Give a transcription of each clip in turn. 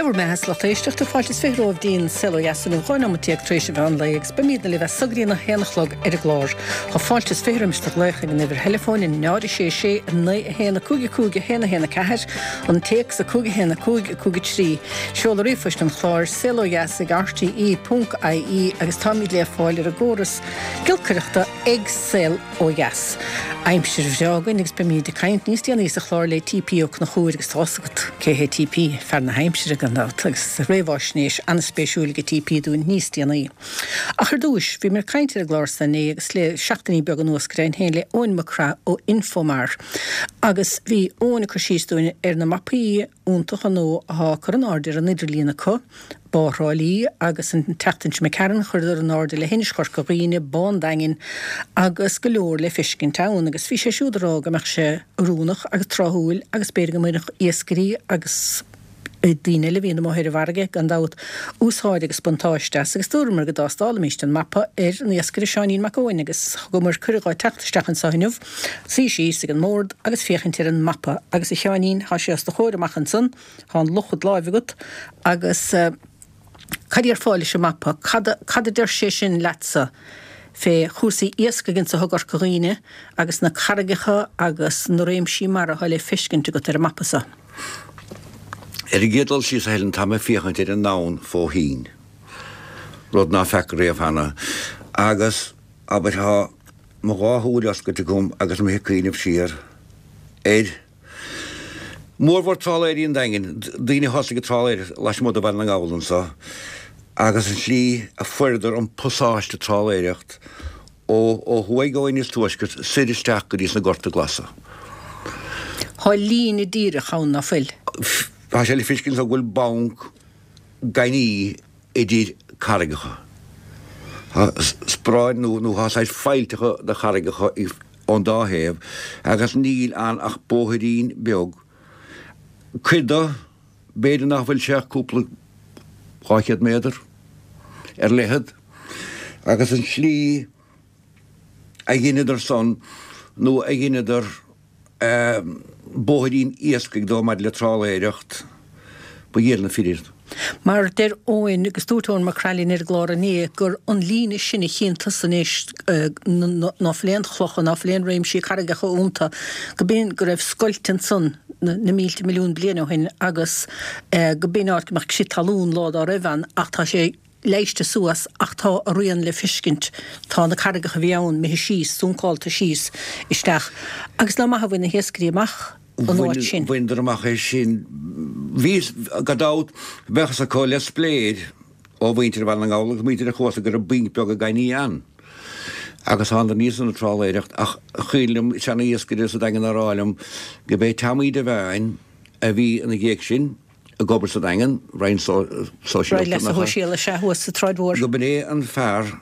bhur mbeatha 's lucht éisteachta, fáilte is 20 romhaibh dtí'n Saol Ó Dheas inniu, 12 neomat tar éis an mheán lae agus beimídne libh as so go dtí'n 1 a chlog ar an gclár. Tá fáilte is 20 roimis do ghlaoch ag an uimhir theileafóin, 0 6 6 9 1 5 5 1 1 4, an téacs 5 1 5 5 3, seoladh ríomhphoist an chláir, saolodheas ag rte ponc ie agus táimíd le fáil ar an gcóras giolcaireachta ag Saol Ó Dheas. Aimsir bhreá againn agus beimíd ag caint níos déanaí sa chlár le TP Ó Conchúir agus tá fhios agat cé hé TP, fear na haimsire gan dabht agus réamháisnéis an-spéisiúil aige TP dúinn níos déanaí. Ach ar dtúis, bhíomar ag caint ar an gclár san inné agus le seachtainí beaga anuas go deimhin féin le Eoin Mac Craith ó Infomar agus bhí Eoin ag cur síos dúinn ar na mapaí iontacha nua athá á cur in airde ar an idirlíon acu, Bá Thrá Lí agus an tseachtain seo imigh tharainn chuireadar in airde le hInis Chorca Dhuibhne, Bá an Daingin agus go leor le feiscint ann agus bhí sé siúd ag rá go mbeadh sé oiriúnach agus tráthúil agus b'fhéidir go mbainfeadh iascairí agus daoine eile a bhíonn amuigh ar an bhfarraige gan dabht úsáid agus buntáiste as agus dúramar go dtástálfaimíst an mapa ar an iascaire Seáinín Mac Eoin agus thugamar cuireadh dhó teacht isteach anso inniu suí síos ag an mbord agus féachaint ar an mapa agus a Sheáinín tá sé os do chomhair amach ansan Tá an luch id láimh agat agus cad a déarfá leis an mapa? Cad cad a deir sé sin leatsa fé chúrsaí iascaigh anso i gCorca Dhuibhne agus na carraigeacha agus na réimsí mara atá le feiscint agat ar an mapa so? Ar an gcéad dul síos, a Helen, tá mé ag féachaint ar an ndomhan fó thoinn, rud ná feaca riamh cheana, agus, abair, tá mo dhá shúil oscailte agam agus mé ag cuimhneamh siar ar Mórmhór trálaeirí an Daingin, daoine a thosaigh ag trálaeireacht lasmuigh de Bhaile na nGall anso, agus an tslí a fuaireadar an pasáiste trálaeireacht ó ó thuaidh ó Inis Tuaiscirt soir isteach go dtí sna Gorta Glasa. Thá líne díreach ann, ná fuil? Tá sé le feiscint anso go bhfuil banc gainimh idir carraigeacha. Tá spráin nó nó tá saghas faillteacha de charraigeacha ón dá thaobh agus níl ann ach bóithrín beag. Cuid de, b'fhéidir nach bhfuil sé ach cúpla 200 méadar ar leithead agus an tslí a dheineadar san nó a dheineadar bóithrín iascaigh dó maidir le trálaeireacht, ba dhiail na fir iad. Mar deir Eoin, agus dúirt Eoin Mac Craith linn ar an gclár inné, gur an líne sin a chíonn tusa anois, ná fuil aon chlocha, ná fuil aon réimsí carraigeacha iontu, go b'in go raibh scoilt ansan na mílte milliún bliain ó shin agus go b'in áit go mbeadh crith talún lá dá raibh ann ach tá sé leighiste suas ach tá a rian le feiscint. Tá na carraigeacha a bhí ann imithe síos, suncálta síos isteach. Agus nach maith a bhain na hiascairí amach an áit sin. Bhaineadar amach é sin. Bhí, gan dabht, bheadh fhios acu le spléir ó mhuintir Bhaile na nGall agus muintir an chuasa go raibh bainc beaga gainimh ann. Agus thánadar aníos ann ag trálaeireacht ach cuimhin liom seana-iascaire sa Daingean á rá liom go b'é Teamaí de Bheáin a bhí ina dhiaidh sin, ag obair sa Daingean, Roinn Sóisialta Roinn Leasa Shóisialaigh, sea, thuas sa tSráid Mhór. Go b'in é an fear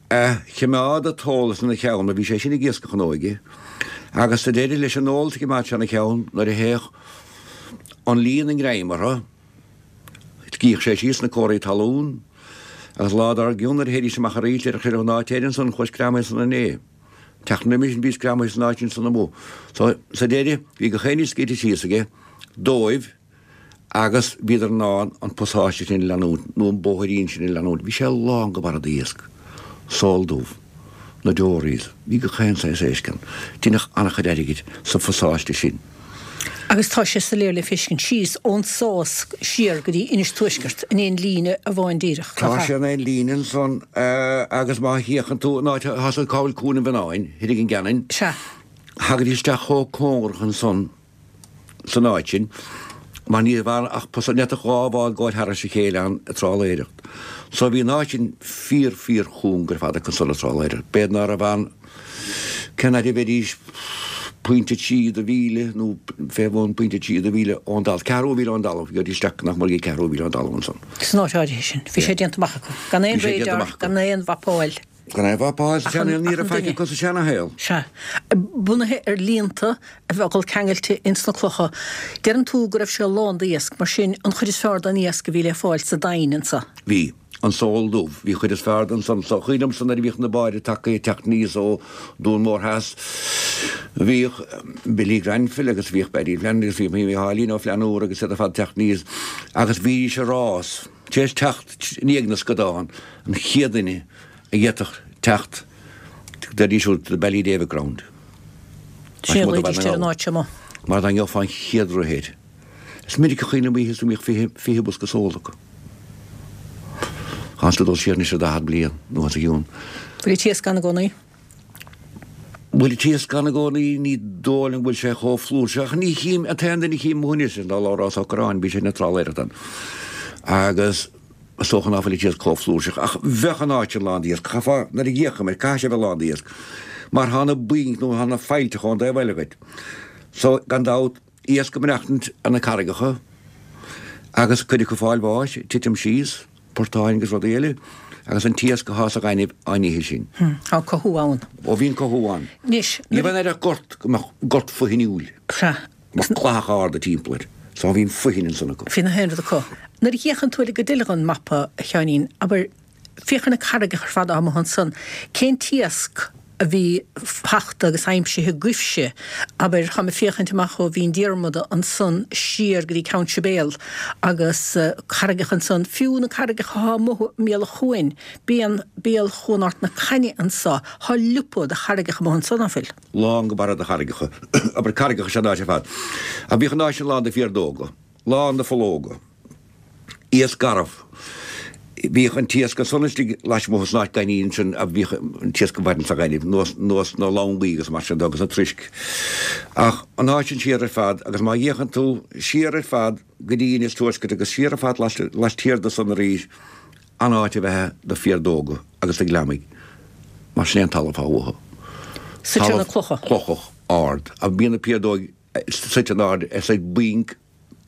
a chimeád an t-eolas ina cheann, bhí sé sin ag iascach ina óige, agus sa deireadh leis an eolas a chimeád sé ina cheann nuair a théadh an líon i ngreim orthu, shuíodh sé síos sna comharthaí talún, agus lá dár gcionn nuair a théidís amach arís, déarfadh sé leo an áit air ansan, chuas greamaithe ansan inné. Tseachtain roimis sin bhíos greamaithe san áit ansan amuigh. So, sa deireadh, bhí gach aon ní scríte síos aige dóibh agus bhíodar in ann an pasáiste sin a leanúint, nó an bóithrín sin a leanúint. Bhí sé lán go barra d'iasc. Sól dubh. Na dories. Bhí gach aon saghas éisc ann. Deineadh an-chuid airgid sa phasáiste sin. Agus tá sé soiléir le feiscint síos ón Sás siar go dtí Inis Tuaisceart in aon líne amháin díreach, nach Tá ea? sé in aon líne ansan agus má fhéachann tú an áit atá cá bhfuil Cuan an Mhionnáin, thoir ag an gCeanainn, Sea. thagaidís isteach chomh cóngarach ansan san áit sin mar ní raibh ann ach ní fhéadfadh dhá bhád gabháil thairis a chéile ann ag trálaeireacht. So bhí an áit sin fíor fíor chúng ar fad acu ansan ag trálaeireacht. B'fhéidir ná raibh ann Cén fhaid a bheidís? Pointe trí de mhíle nó fé bhun pointe trí de mhíle ón dtalamh, ceathrú mhíle ón dtalamh, gheobhaidís isteach nach mór go ceathrú mhíle ón dtalamh ansan. San áit áirithe sin, bhí sé déanta amach acu. Gan aon radar, gan aon mhapáil. Gan aon mhapáil, sa seansaol, ní raibh faic acu sa seanashaol. Sea. Bunaithe ar líonta a bheadh ag dul ceangailte ins na clocha. Deireann tú go raibh sé lán d'iasc, mar sin an chuid is fearr den iasc a bhí le fáil sa Daingean anso. Bhí. An sól dubh. Bhí chuid is fearr den san. So cuimhin liomsa nuair a bhíodh na báid tagtha ag teacht aníos ó Dún Mór Theas, bhíodh Billy Granville agus bhíodh Paddy Flannery agus bhíodh Mícheáilín Ó Flannúra agus iad ar fad ag teacht aníos agus bhídís ag rás tar éis teacht i ndiaidh na scadán, an chéad duine a d'fhéadfadh teacht deiridís siúd to the Ballydavid ground. Sin a ghlaoidís ar an áit seo amuigh. Mar dá ngeofá an chéad rith air. Is minic a chuimhním oíche is go mbíodh 20 bosca sóil acu. Tá tú ag dul siar anois ar 40 bliain nó os a chionn. Bhfuil an t-iasc ann i gcónaí? Bhfuil an t-iasc ann i gcónaí? Ní dóigh liom go bhfuil sé chomh flúirseach. Ach ní chím, an t-aon duine a chím amuigh anois ná Labhrás Ó Corráin, bhí sé ina trálaeireacht ann. Agus is dócha ná fuil an t-iasc chomh flúirseach. Ach bheadh an áit sin lán d'iasc. Chaithfeá, nuair a d'fhéachaim air, caithfidh sé a bheith lán d'iasc. Mar thá na bainc nó thá na faillteacha ón dtaobh eile dhuit. So, gan dabht, Iasc ag maireachtaint ar na carraigeacha agus cuid acu ag fáil bháis, ag titim síos, portáin agus rudaí eile, agus an t-iasc athá sa ghaineamh á n-ithe sin. Tá cothú ann. Ó bhíonn cothú ann. Anois, Ní bheinn ar gort go mbeadh gort foithiniúil. Sea. Mbeadh clathacha arda timpeall air. So bhíonn foithin ansan acu. Bhí na haon rud acu. Nuair a fhéachann tú ar an gcuid eile den mapa, a Sheáinín, abair, Féach ar na carraigeacha ar fad atá amuigh ansan. Cén t-iasc a bhí fachta agus aimsithe agaibhse? Abair, táim ag féachaint amach ó Bhinn Diarmada ansan siar go dtí Ceann Sibéal agus carraigeacha ansan, fiú na carraigeacha atá amuigh i mbéal an chuain, bíonn béal Chuan Ard na Cainne anso, tá liopa de charraigeacha amuigh ansan, ná fuil? Lán go barra de charraigeacha. Abair, carraigeacha is ea an áit ar fad. Ach bhíodh an áit sin lán de phiardóga, lán de phollóga. Iasc garbh. Bhíodh an t-iasc ansan istigh lasmuigh san áit gainimh ansin a bhíodh an t-iasc ag maireachtaint sa ghaineamh, nós, nós na longaí agus mar sin de agus na troisc. Ach an áit sin siar ar fad agus má fhéachann tú siar ar fad go dtí Inis Tuaiscirt agus siar ar fad laistiar de san arís, an áit a bheith do phiardóga agus do ghliomaigh mar sin é an talamh atá uathu. Suite ar na clocha. Clochach ard. Ach bíonn na piardóig suite in airde ar saghas bainc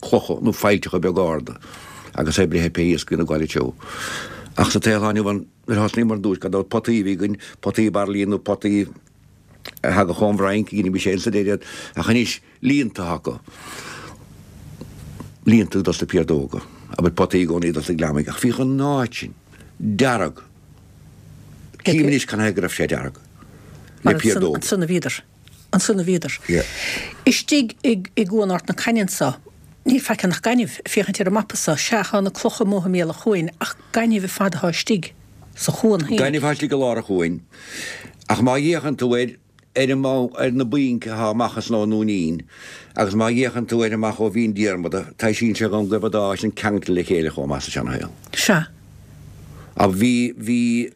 clocha nó faillteacha beaga arda agus é ag breith ar pé iasc a bhíonn ag gabháil treo. Ach sa tsaol atá inniu ann, nuair a thosnaíomar ar dtúis, gan dabht potaí a bhí againn, potaí bairillín nó potaí a thagadh ón bhFrainc, dheinimís féin sa deireadh iad, ach anois líonta atá acu. Líonta dos na piardóga, abair potaí i gcónaí dos na gliomaigh, ach bhíodh an áit sin dearg. Cím anois canathaobh go raibh sé dearg le piardóga. Ansan a bhíodar. Ansan a bhíodar. Istigh i gCuan Ard na Cainne anso, níl faic ann ach gaineamh, ag féachaint ar an mapa so, sea, tá na clocha amuigh i mbéal an chuain, ach gaineamh ar fad atá istigh sa chuan féin. Gaineamh atá istigh i lár an chuain, ach má fhéachann tú air, ar an, ar na bainc atá amach ansan ón nDúinín, agus má fhéachann tú air amach ó Bhinn Diarmada, taibhsíonn sé dhom go raibh an dá áit sin ceangailte le chéile chomh maith sa seanashaol. Sea. Ach bhí, bhí.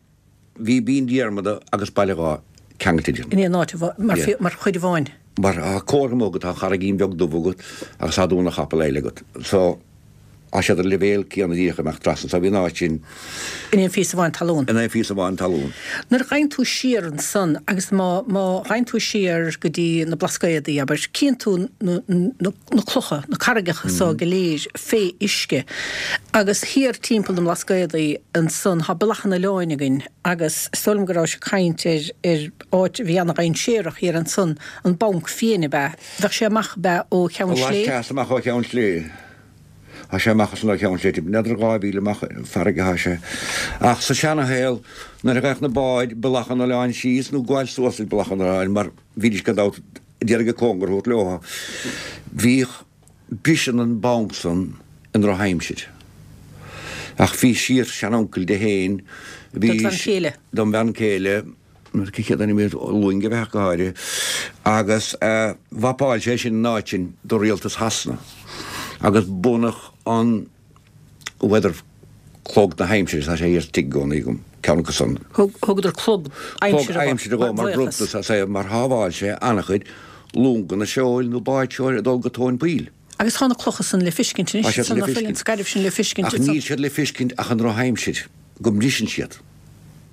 Bhí Binn Diarmada agus Baile Dháith ceangailte idir. In aon áit amháin, mar chuid amháin. Mar tá comhartha amuigh agat, tá an charraigín bheag dubh agat agus tá Dún an Chapaill eile agat. So, tá siad ar an leibhéal céanna díreach ag imeacht trasna. So bhí an áit sin. In aon phíosa amháin talún. In aon phíosa amháin talún. Nuair a ghabhann tú siar ansan agus má, má ghabhann tú siar go dtí na Blascaodaí, abair, cíonn tú na, na, na clocha, na carraigeacha so go léir fé uisce. Agus thiar timpeall na mBlascaodaí ansan tá Bealach an Oileáin againn agus is dóigh liom go rabhais ag caint ar ar áit a bhí ana-dhainséarach thiar ansan, an Banc Fiain ab ea? Bheadh sé amach ab ea ó Cheann Slé? Laisteas amach ó Cheann Slé. Tá sé amach ansan ó Cheann Slé, n'fheadar 2 mhíle amach farraige atá sé. Ach sa seana-shaol nuair a ghabhadh na báid Bealach an Oileáin síos nó gabháil suas Bealach an Oileáin mar bhídís gan dabht d'iarraidh an cóngar a thabhairt leo. Bhíodh briseann an banc san i ndrochaimsir. Ach bhí síor-sheanuncail di féin, bhí. Dod bhean chéile. Dom bhean chéile, cé chéad ainm air, Luing a bheadh go háirithe, agus mhapáil sé sin an áit sin do rialtas Shasana agus bunaíodh an. weather clog na haimsire, tá sé thiar sa tigh i gcónaí agam, ceann acu san. Thugadar clog aimsire dho. Clog aimsire dhó mar bhronntanas as é mar shábháil sé an-chuid longanna seoil nó báid seoil ag dul go tóin poill. Agus tá na clocha san le fiscint anois, Tá siad le fiscint. an scairbh sin le fiscint Ach níl siad le fiscint ach i ndrochaimsir, go mbriseann siad.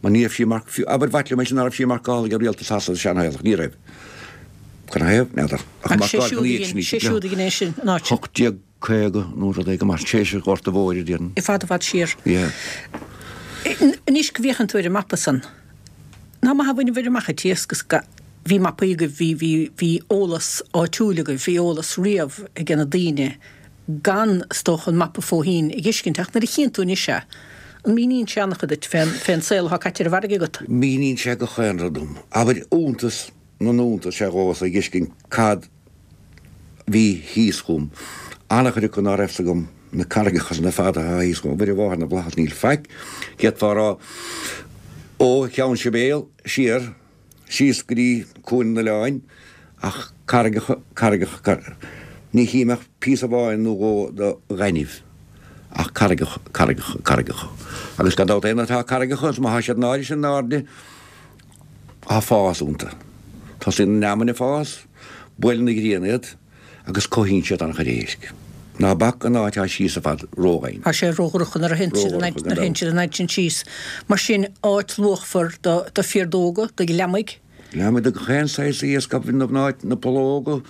Mar ní raibh sí mar, abair mhaith liom é sin, ná raibh sí marcáilte ag rialtas Shasana sa seanshaol ach ní raibh. Canathaobh? N'fheadar. Ach Agus sé siúd a dhein, sé siúd a dhein é sin, an áit sin. 18. 50 nó rud éigin mar tar éis an Ghorta Mhóir a déarfainn. I bhfad i bhfad siar. Yeah. Anois go bhféachann tú ar an mapa san, nach maith a bhainibhir amach an t-iasc is ga, bhí mapaí agaibh, bhí, bhí, bhí eolas áitiúil agaibh, bhí eolas riamh age na daoine gan, is dócha, an mapa fó thoinn a dh'fheiscint ach nuair a chíonn tú anois é. An míníonn sé an-chuid duit fén, fén saol atá caite ar an bhfarraige agat? Míníonn sé gach aon rud dom. Abair, iontas na n-iontas is ea dhomhsa a dh'fheiscint cad bhí thíos chugam. An-chuid acu ná raibh 's agam, na carraigeacha san ar fad atá thíos chugam. Mhuire Mháthair na bhFlaitheas níl faic, d'fhéadfá a rá, ó Cheann Sibéal siar, síos go dtí Cuan an Oileáin, ach carraigeacha, carraigeacha, carraigeacha. Ní chím ach píosa amháin nó dhó de ghaineamh, ach carraigeacha, carraigeacha, carraigeacha. Agus gan dabht aon atá carraigeacha, is má thá siad in áirithe sin in airde, tá fás iontu. Tosaíonn an fheamainn ag fás, buaileann an ghrian iad, agus cothaíonn siad an-chuid éisc. Ná bac an áit atá síos ar fad ródhoimhin. Tá sé ródhorcha nuair a théann siad an nuair a théann siad an fhad sin síos. Mar sin, áit luachmhar do do phiardóga, do ghliomaigh. Gliomaigh do gach aon saghas iasc, abair, na mná, na pollóga.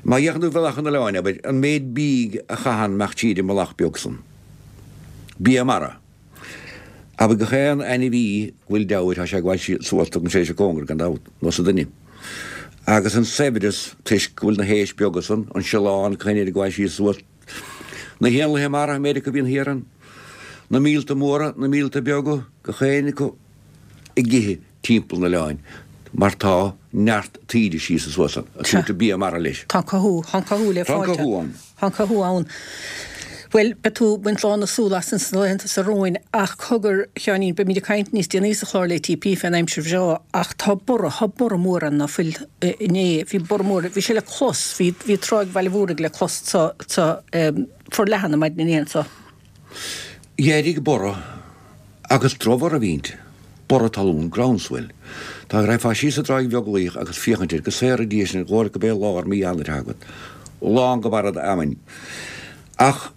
Má fhéachann tú ar Bhealach an Oileáin, abair, an méid bídh a chaitheann mac tíre i mbealach beag san. Bia mara. Abair gach aon ainmhí go bhfuil deabhair, tá sé ag gabháil suas, tugann sé sé cóngar gan dabht, nó sa duine. Agus an saibhreas, toisc go bhfuil na héisc beaga san, an siolán, coinne ag gabháil síos suas, na héanlaithe mara, an méid acu a bhíonn thiar ann, na míolta móra, na míolta beaga, gach éinne acu ag ithe timpeall an oileáin, mar tá neart taoide síos is suas ann, ag tabhairt bia mara leis. Tá cothú, tá cothú le fáil. Tá cothú ann. Tá cothú ann. Bhuel, beidh tú ag baint lán na súl as ins na laethanta seo romhainn, ach cogar, a Sheáinín, beimid ag caint níos déanaí sa chlár le TP fén aimsir bhreá, ach tá borradh, tá borradh mór ann ná fuil inné, bhí borradh mór, bhí sé le clos, bhí, bhí Tráigh Bhaile Mhúraigh le clos sa, sa, forleathan an maidin inné anso. D'éirigh borradh agus drochbhorradh a bhí inti, borradh talún, groundswell. Dá raghfá síos an dTráigh Bheaglaoich agus féachaint air, go saora Dia sinn, dhóbair gurb é lár mí Eanáir atá agat. Lán go barra d'fheamainn. Ach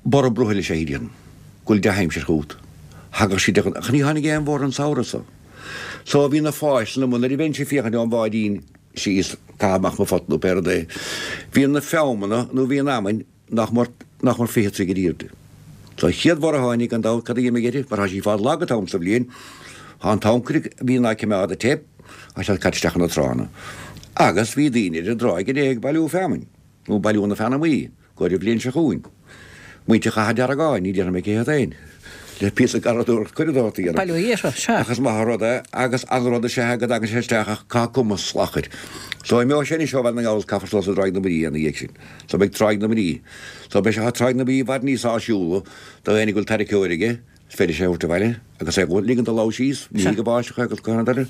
borradh brothaill is ea í, déarfainn, go bhfuil dea-aimsir chugat. Thagadh sí de ghnáth, ach ní tháinig aon bhorradh an samhradh so. So bhí na fáisleanna amuigh, nuair a bheinnse ag féachaint ón bháidín síos, caitheamh amach mo phota nó pé rud é, bhí na feamna nó bhí an fheamainn, nach mór, nach mór 20 troigh ar airde. So an chéad bhorradh a tháinig, gan dabht, cad a d'imigh uirthi, mar tá sí ag fáil lag an t-am sa bhliain, tá an t-ancaire a bhíonn á cimeád ag teip, tá sé caite isteach ina tránna. Agus bhí daoine ar an dtráigh inné ag bailiú feamainn, nó bailiú na feanamaí, go ar an bhliain seo chugainn. Muintir Chathair Deargáin, ní déarfaidh mé cé hiad féin, le píosa garraíodóireacht curadóireacht a dhéanamh. Bailiú iartha, sea. Ach is maith an rud é, agus an rud is ea go dtagann sé isteach ach tá cuma slachair. So imeoidh sé anois ó Bhaile na nGall is caithfear suas i dTráigh na Mná ina dhiaidh sin. So beidh Tráigh na Mná. So beidh sé thá Tráigh na Mná i bhfad níos áisiúla do éinne go bhfuil tarraiceoir aige, is féidir sé a thabhairt abhaile agus é a ligean do lamh síos, ní hí go báisteach é agus go han eile.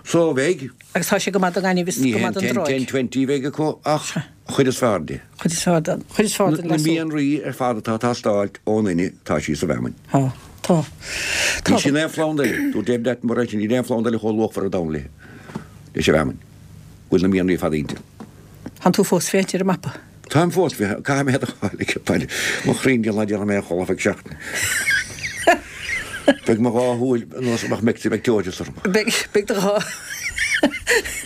So beidh. Agus tá sé go maith don ngaineamh is go maith don dtráigh. Ní hé an ten, ten, 20 a bheidh acu ach an chuid is fearr de. Chuid is fearr den, chuid is fearr den leasú. Na mianraí ar fad atá ag teastáilt ón duine, tá sí sa bhfeamainn. Tá. Tá. Tá. Níl sí in aon phlanda eile. Dúirt David Attenborough ansin, níl aon phlanda eile chomh luachmhar ar domhan léi, leis an bhfeamainn. Go bhfuil na mianraí ar fad inti. Tánn tú fós féachaint ar an mapa? Táim fós, caithfidh mé iad a fháil ag baile. Mo chroí ná déanfaidh mé a chodladh feadh seachtaine. Beidh mo dhá shúil ar nós Meximecteoideas orm. Beidh, beidh do dhá.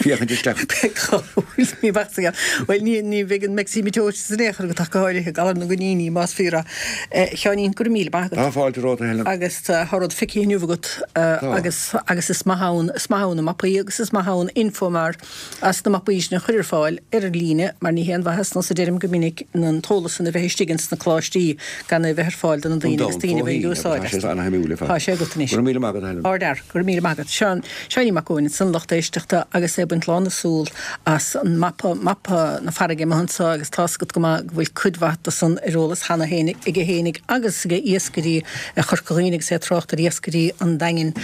Féachaint isteach. Beidh dhá shúil ní bheadh sa Bhuel, ní, ní bheidh an Meximecteoideas in aon chor agat ach go háirithe, galar na gcoiníní, más fíor é. A Sheáinín, go raibh míle maith agat. Tá fáilte romhat, a Helen. Agus tá rud feicthe inniu agat agus, agus is maith ann, is maith ann na mapaí agus is maith ann Infomar. as na mapaí sin a chur ar fáil ar líne mar ní haon mhaitheas nós a deirim go minic an t-eolas san a bheith istigh ins na coláistí gan é a bheith ar fáil do na daoine agus daoine a bheith ag úsáid as. Tá sé an-shuimiúil ar fad. Tá sé agat anois. Go raibh míle maith agat, a Helen. Ardfhear. Go raibh míle maith agat. Seán, Seáinín Mac Eoin ansan, lucht éisteachta agus é ag baint lán na súl as an mapa, mapa na farraige amuigh anso agus tá's agat go maith go bhfuil cuid mhaith de san ar eolas cheana féin aige fhéinig agus age iascairí Chorca Dhuibhne agus é ag trácht ar iascairí an Daingin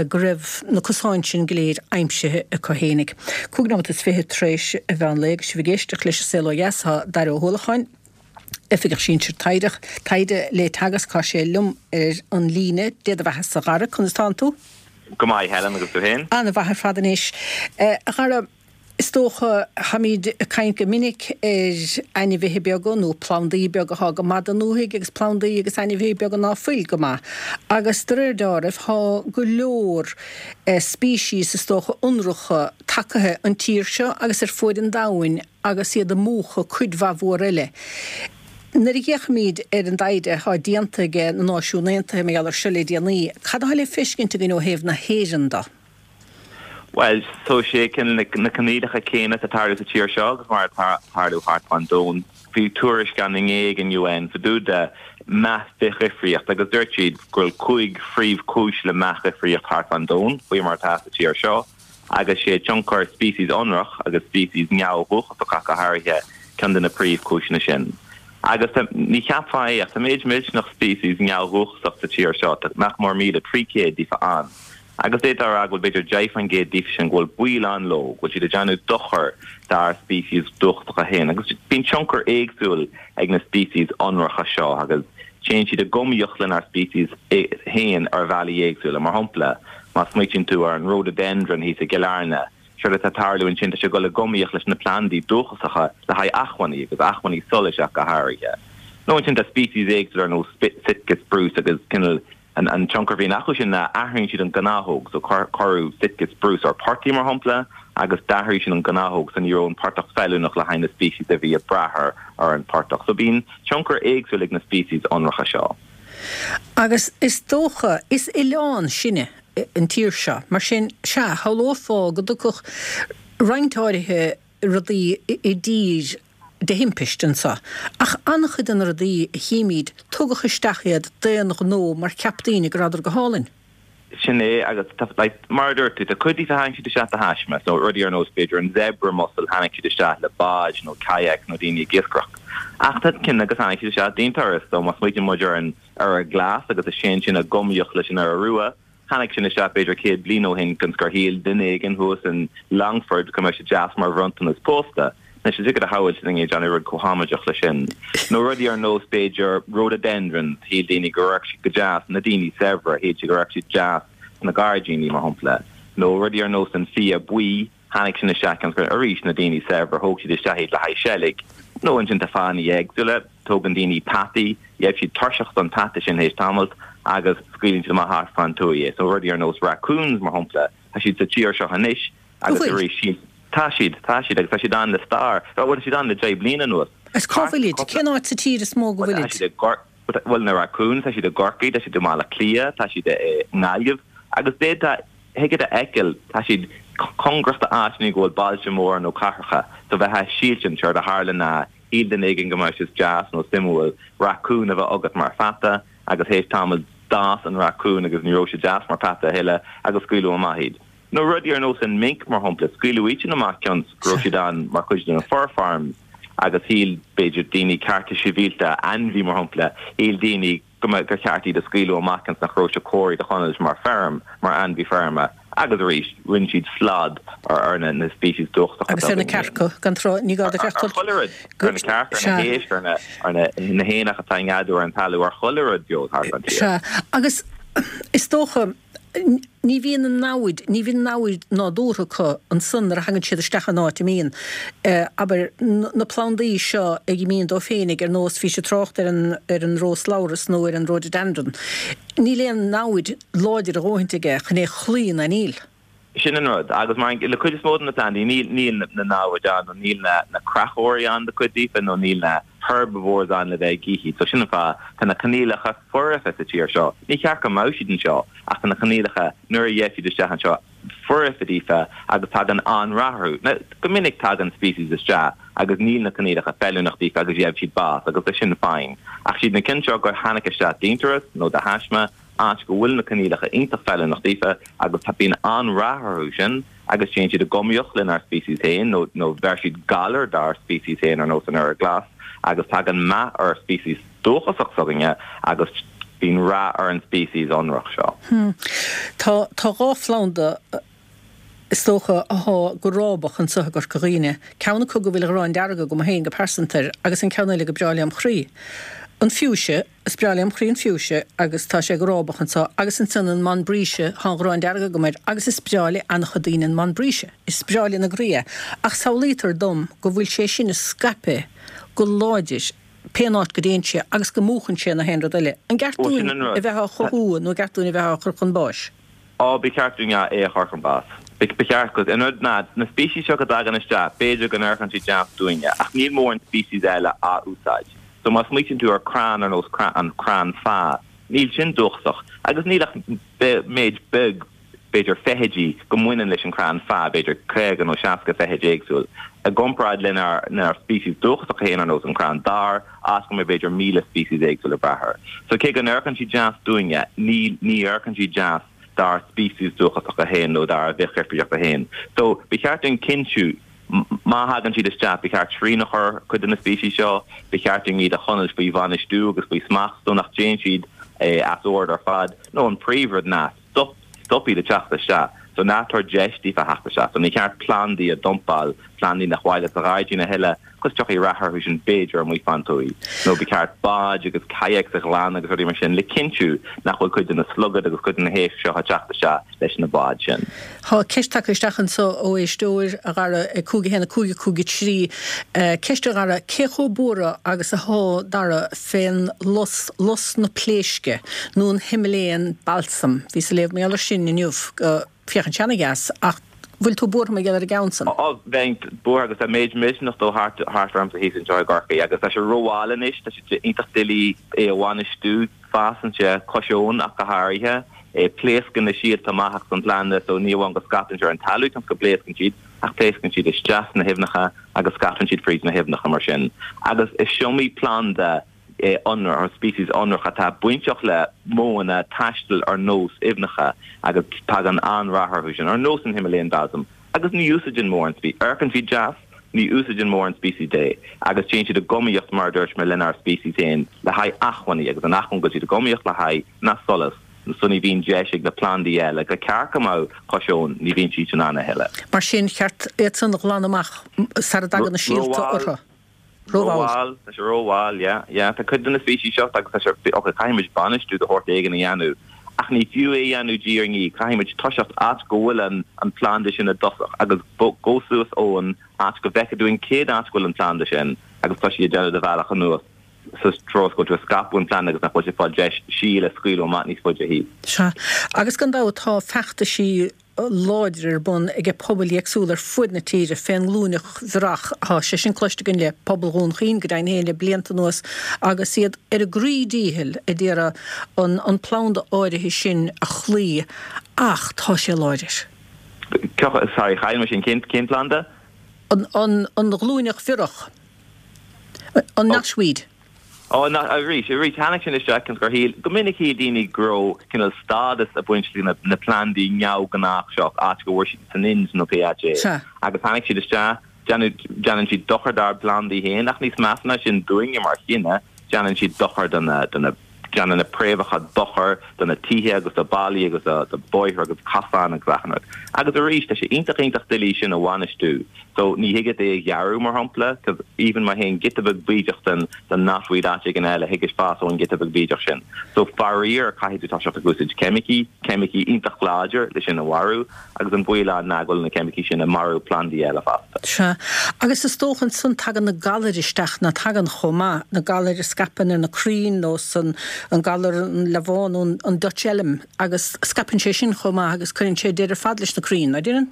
go raibh na cosáin sin go léir aimsithe acu fhéinig. 25 nóimeat tar éis an mheán lae agus sibh ag éisteacht leis an Saol Ó Dheas tá Daire Ó hUallacháin, Oifigeach Sinsir Taighde le Teagasc, tá sé liom ar an líne. Dé do bheatha-sa, a Dhara, conas tánn tú? Go maith, Helen, agus tú féin? An-mhaith ar fad anois. A Dhara, Is dócha, táimid ag caint go minic ar ainmhithe beaga nó plandaí beaga atá go maith don ndúthaigh agus plandaí agus ainmhithe beaga ná fuil go maith. Agus de réir deáraimh, tá go leor species, is dócha, ionracha tagaithe an tír seo agus ar fuaid an domhain agus iad ag múchadh cuid mhaith mhór eile. Nuair a fhéachaimid ar an dtaighde atá déanta ag na Náisiúin Aontaithe mar gheall ar seo le déanaí, cad atá le feiscint againn ó thaobh na hÉireann de? Bhuel, so sé cineál na coinníollacha céanna atá ag tarlú sa tír seo agus mar atá ag tarlú thart fán domhan. Bhí tuairisc ann inné ag an UN fá dtaobh de meath bithdhifríocht agus dúirt siad go bhfuil 5 phríomhchúis le meath dhifríocht thart fán domhan, faoi mar atá sa tír seo, agus sé tionchar species ionrach agus species neamhdhúchasach ach go háirithe ceann de na príomhchúiseanna sin. Agus tá, ní cheapfá é ach tá méid millteanach species neamhdhúchasach sa tír seo, tá nach mór 1,300 díofa ann. Agus d'fhéadfá a rá go bhfuil b'fhéidir 10% díofa sin go bhfuil baol ann leo, go bhfuil siad ag déanamh dochar dár species dúchasacha féin. Agus bíonn tionchar éagsúil ag na species ionracha seo agus téann siad i giomaíocht lenár species féin ar bhealaí éagsúla. Mar shampla, má smaoitíonn tú ar an rhododendron thíos i gCill Airne, séard atá ag tarlú ansin, tá sé ag dul i giomaíocht leis na plandaí dúchasacha le haghaidh acmhainní, agus acmhainní solais ach go háirithe. Nó ansin tá species éagsúla ar nós Sitka spruce agus cineál An tionchar a bhíonn acu sin ná athraíonn siad an gnáthóg. So cuireadh Sitka spruce ar portaigh mar shampla agus d'athraigh sin an gnáthóg so ní raibh an portach feiliúnach le haghaidh na species a bhí ag brath ar an portach. So bíonn tionchar éagsúil ag na species ionracha seo. Agus is dócha, is oileán sinne, an tír seo, mar sin, sea, shamhlófá go dtiocfadh roinnt áirithe rudaí i dtír de thimpist anseo, ach an-chuid de na rudaí a chímid, tugadh isteach iad d'aon ghnó mar cheap daoine go rabhadar go hálainn. Sin é, agus tá, like, mar a dúirt tú, tá cuid díofa tháinig siad isteach de thaisme, so rudaí ar nós b'fhéidir an zebra mussel, tháinig siad isteach le báid nó kayaks nó daoine ag iascaireacht. Ach tá cinn agus tháinig siad isteach d'aon turas, so má smaoitíonn muid ar an iora glas agus a téann sin i giomaíocht leis an iora rua, Tháinig sin isteach b'fhéidir 100 bliain ó shin cionn is gur shíl duine éigin thuas in Longford go mbeadh sé deas mar bhronntanas pósta. Anois is deacair a shamhailt duine ag déanamh rud chomh hamaideach leis sin. Nó rudaí ar nós b'fhéidir rhododendrons, shíl daoine go raibh siad go deas, na daoine saibhre, shíl siad go raibh siad deas sna gairdíní mar shampla. Nó rudaí ar nós an fia buí, Tháinig sin isteach cionn is gur, arís, na daoine saibhre, thóg siad isteach iad le haghaidh seilg. Nó ansin tá fáthanna éagsúla, tógann daoine peataí, gheibh siad tuirseach don peata sin théis tamaill agus scaoileann siad amach thart fán tuaith é. So rudaí ar nós raccoons, mar shampla, tá siad sa tír seo anois agus arís, síl, tá siad, tá siad agus tá siad ann le stair, bhuel tá siad ann le 10 bliana anuas. Agus cá bhfuilid? Cén áit sa tír is mó go bhfuilid? Tá siad i gCor, bhuel na raccoons, tá siad i gCorcaigh, tá siad i mBaile Átha Cliath, tá siad i nGaillimh agus d'fhéadfá, Thig leat a fheiceáil, tá siad cóngarach d'áiteanna go bhfuil bailte móra nó cathracha, so bheifeá ag síltint, séard a tharla ná shíl duine éigin go mbeadh sé deas nó suimiúil racún a bheith agat mar pheata agus théis tamaill d'fhás an racún agus ní raibh sé deas mar pheata a thuilleadh agus scaoileadh amach iad. Nó rudaí ar nós an mink mar shampla, scaoileadh iad sin amach cionn 's go raibh siad ann mar chuid de na fur farms agus shíl b'fhéidir daoine cearta sibhialta, ainmhí mar shampla, shíl daoine, go mbeadh gur cheart iad a scaoileadh amach cionn 's nach raibh sé cóir iad a choinneáilt mar feirm, mar ainmhí feirme, agus arís, rinne siad slad ar na na species dúchasacha Agus ar na cearca, gan trácht, ní gá duit ach dul. Ar chuile rud, ar na cearca, ar na héisc, ar na ar na na héanacha atá ag neadú ar an talamh, ar chuile rud beo thart an tír. Sea, agus is dócha, Ní bhíonn an namhaid, ní bhíonn namhaid nádúrtha acu ansan nuair a thagann siad isteach in áit a mbíonn, abair, na plandaí seo ag imíonn dóibh féinig, ar nós, bhís ag trácht ar an, ar an róslabhras nó ar an rhododendron. Níl aon namhaid láidir a dhóthaint aige chun é a chloí ná níl. Sin an rud. Agus mar le cuid is mó de na plandaí, níl, níl na namhaid ann nó níl na, na creachóirí ann do cuid díofa nó níl na herbivores ann le bheith ag ithe iad. So sin an fáth, tá na coinníollacha foirfe sa tír seo. Ní cheart go mbeadh siad anseo ach tá na coinníollacha, nuair a gheibh siad isteach anseo, foirfe daofa agus tagann an-rath orthu. Now, go minic tagann species isteach agus níl na coinníollacha feiliúnach daofa agus gheibh siad bás agus tá sin fine. Ach siad na cinn seo gur tháinig isteach d'aonturas nó de thaisme, áit go bhfuil na coinníollacha iontach feiliúnach daofa agus tá bíonn an-rath orthu sin agus téann siad i giomaíocht lenár species féin nó nó bheir siad galar dár species féin ar nós an iora glas agus tagann meath ar species dúchasach s'againne agus bíonn rath ar an species ionrach seo. Tá tá 2 phlanda is dócha, athá go rábach anso i gCorca Dhuibhne, ceann acu go bhfuil a ghráin dearg agam féin go pearsanta air agus an ceann eile go breá lem chroí. An fuchsia, is breá lem chroí an fuchsia agus tá sé go rábach anso agus ansan an montbretia, thá an ghráin dearg agam air agus is breá le an-chuid daoine an montbretia, is breá lena gcroí é ach samhlaítear dom go bhfuil sé sin ag scaipeadh go láidir pén áit go dtéann sé agus go múchann sé na haon rud eile. An gceart dúinn a bheith á chothú nó an gceart dúinn a bheith á chur chun báis? Á, ba cheart dúinn é a chur chun báis. Ba cheart, 'cause an rud ná, na species seo go dtagann isteach, b'fhéidir go n-amharcann siad deas dúinne, ach níl mórán species eile á úsáid. So má smaoitíonn tú ar crann ar nós an crann feá, níl sin dúchasach, agus níl ach méid beag. b'fhéidir, feithidí go mbaineann leis an chrann feá, b'fhéidir 50 nó 60 feithid éagsúil, i gcomparáid lenár lenár species dúchasacha féin ar nós an crann dair, áit go mbeidh b'fhéidir 1,000 species éagsúil le brath air. So cé go n-amharcann siad deas dúinne, ní ní amharcann siad deas dár species dúchasacha féin nó dár bhithdhifríochta féin. So ba cheart dúinn cinntiú má thagann siad isteach, ba cheart srian a chur ar chuid de na species seo, ba cheart dúinn iad a choinneáil faoi bhainistiú agus faoi smacht so nach dtéann siad as ord ar fad, nó an príomhrud ná stop, stop iad ag teacht isteach. So ná tabhair deis daofa theacht isteach. So ní ceart plandaí a dumpáil, plandaí nach mhaith leat sa ghairdín a thuilleadh, 'cause tiocfaidh rath orthu sin b'fhéidir amuigh fán tuaith. Nó ba cheart báid agus kayaks a ghlanadh agus rudaí mar sin le cinntiú nach bhfuil cuid de na slugaid agus cuid de na héisc seo ag teacht isteach leis na báid sin. Tá ceist tagtha isteach anso ó éisteoir, a Dhara, ag 5 1 5 5 3. Ceist a Dhara, cé chomh buartha agus athá Dara fén lus, lus na pléisce, nó an Himalayan balsam? Bhíos ag léamh mar gheall ar sin inniu, go, féachann sé ana-dheas, ach bhfuil tú buartha mar gheall ar an gceann san? Á, bheinn buartha agus tá méid millteanach dó thart thart ormsa thíos anseo i gCorcaigh agus tá sé rómhall anois, tá sé iontach doiligh é a bhainistiú, fásann sé cois abhann ach go háirithe, pléascann na síolta amach as an bplanda so ní amháin go scaipeann sé ar an talamh cionn is go bpléascann siad ach pléascann siad isteach sna haibhneacha agus scaipeann siad fríd na haibhneacha mar sin agus is iomaí planda ionrach, species ionrach atá bainteach le modhanna taistil ar nós aibhneacha agus tagann an-rath orthu sin, ar nós an Himalayan balsam, agus ní úsáideann mórán species, amharcann siad deas, ní úsáideann mórán species é agus téann siad i giomaíocht, mar a dúirt mé, lenár species féin le haghaidh acmhainní agus an acmhainn go bhfuil siad i giomaíocht le haghaidh ná solas, so ní bhíonn deis ag na plandaí eile gur ceart go mbeadh cois abhann, ní bhíonn siad sin ann a thuilleadh. Mar sin, cheart iad san a ghlanadh amach sara dtagann na síolta orthu. Rómhall. Tá sé rómhall, yeah, yeah. Tá cuid de na species seo agus tá sé, ok, caithfidh muid bainistiú de shórt éigin a dhéanamh, ach ní fiú é a dhéanamh diaidh ar ndiaidh, caithfidh muid toiseacht áit go bhfuil an, an planda sin i dtosach agus gabh suas ón áit go bhfeicfidh tú an chéad áit go bhfuil an planda sin agus toisigh ag déanamh do bhealach anuas sa treo is go bhfuil tú ag scaipeadh an phlanda agus nach bhfuil sé ag fáil deis síol a scaoileadh amach níos faide thíos. Sea, agus gan dabht tá feachtaisí láidir ar bun ag pobail éagsúla ar fuaid na tíre fén nglúineach bhiorach. Tá sé sin cloiste againn le pobal Dhún Chaoin go deimhin féin le blianta anuas agus iad ar a gcroí díchill a d'iarraidh an an planda áirithe sin a chloí ach tá sé láidir. Sorry, chaill mé sin. Cén cén planda? An an an ghlúineach bhiorach. An knotweed. Ó, ná, arís, arís, tháinig sin isteach cionn is gur shíl, go minic shíl daoine go raibh cineál stádas ag baint le na plandaí neamhghnách seo, áit go bhfuair siad san Ind nó pé áit é. Sea. Agus tháinig siad isteach, déanadh, déanann siad dochar dár bplandaí féin, ach níos measa ná sin dúinne mar chine, déanann siad dochar do na, do na, déanann na préamhacha dochar do na tithe agus do ballaí agus do, do bóithre agus cosáin agus achan rud. Agus arís, tá sé iontach, iontach doiligh sin a bhainistiú. So ní thig leat é a ghearradh, mar shampla, 'cause even má théann giota beag bídeach den den knotweed áit éigin eile, thig leis fás ón giota beag bídeach sin. So faraor, caithfidh tú toiseacht ag úsáid ceimicí, ceimicí iontach láidir le sin a mharú, agus an baol ann ná go bhfuil na ceimicí sin ag marú plandaí eile fosta. Sea. Agus is dócha ansan tagann na galair isteach, ná tagann chomh maith, na galair a scaipeann ar na crainn nós an an galar an leamhán nó an Dutch elm agus scaipeann sé sin chomh maith agus cuireann sé deireadh ar fad leis na crainn, ná deineann?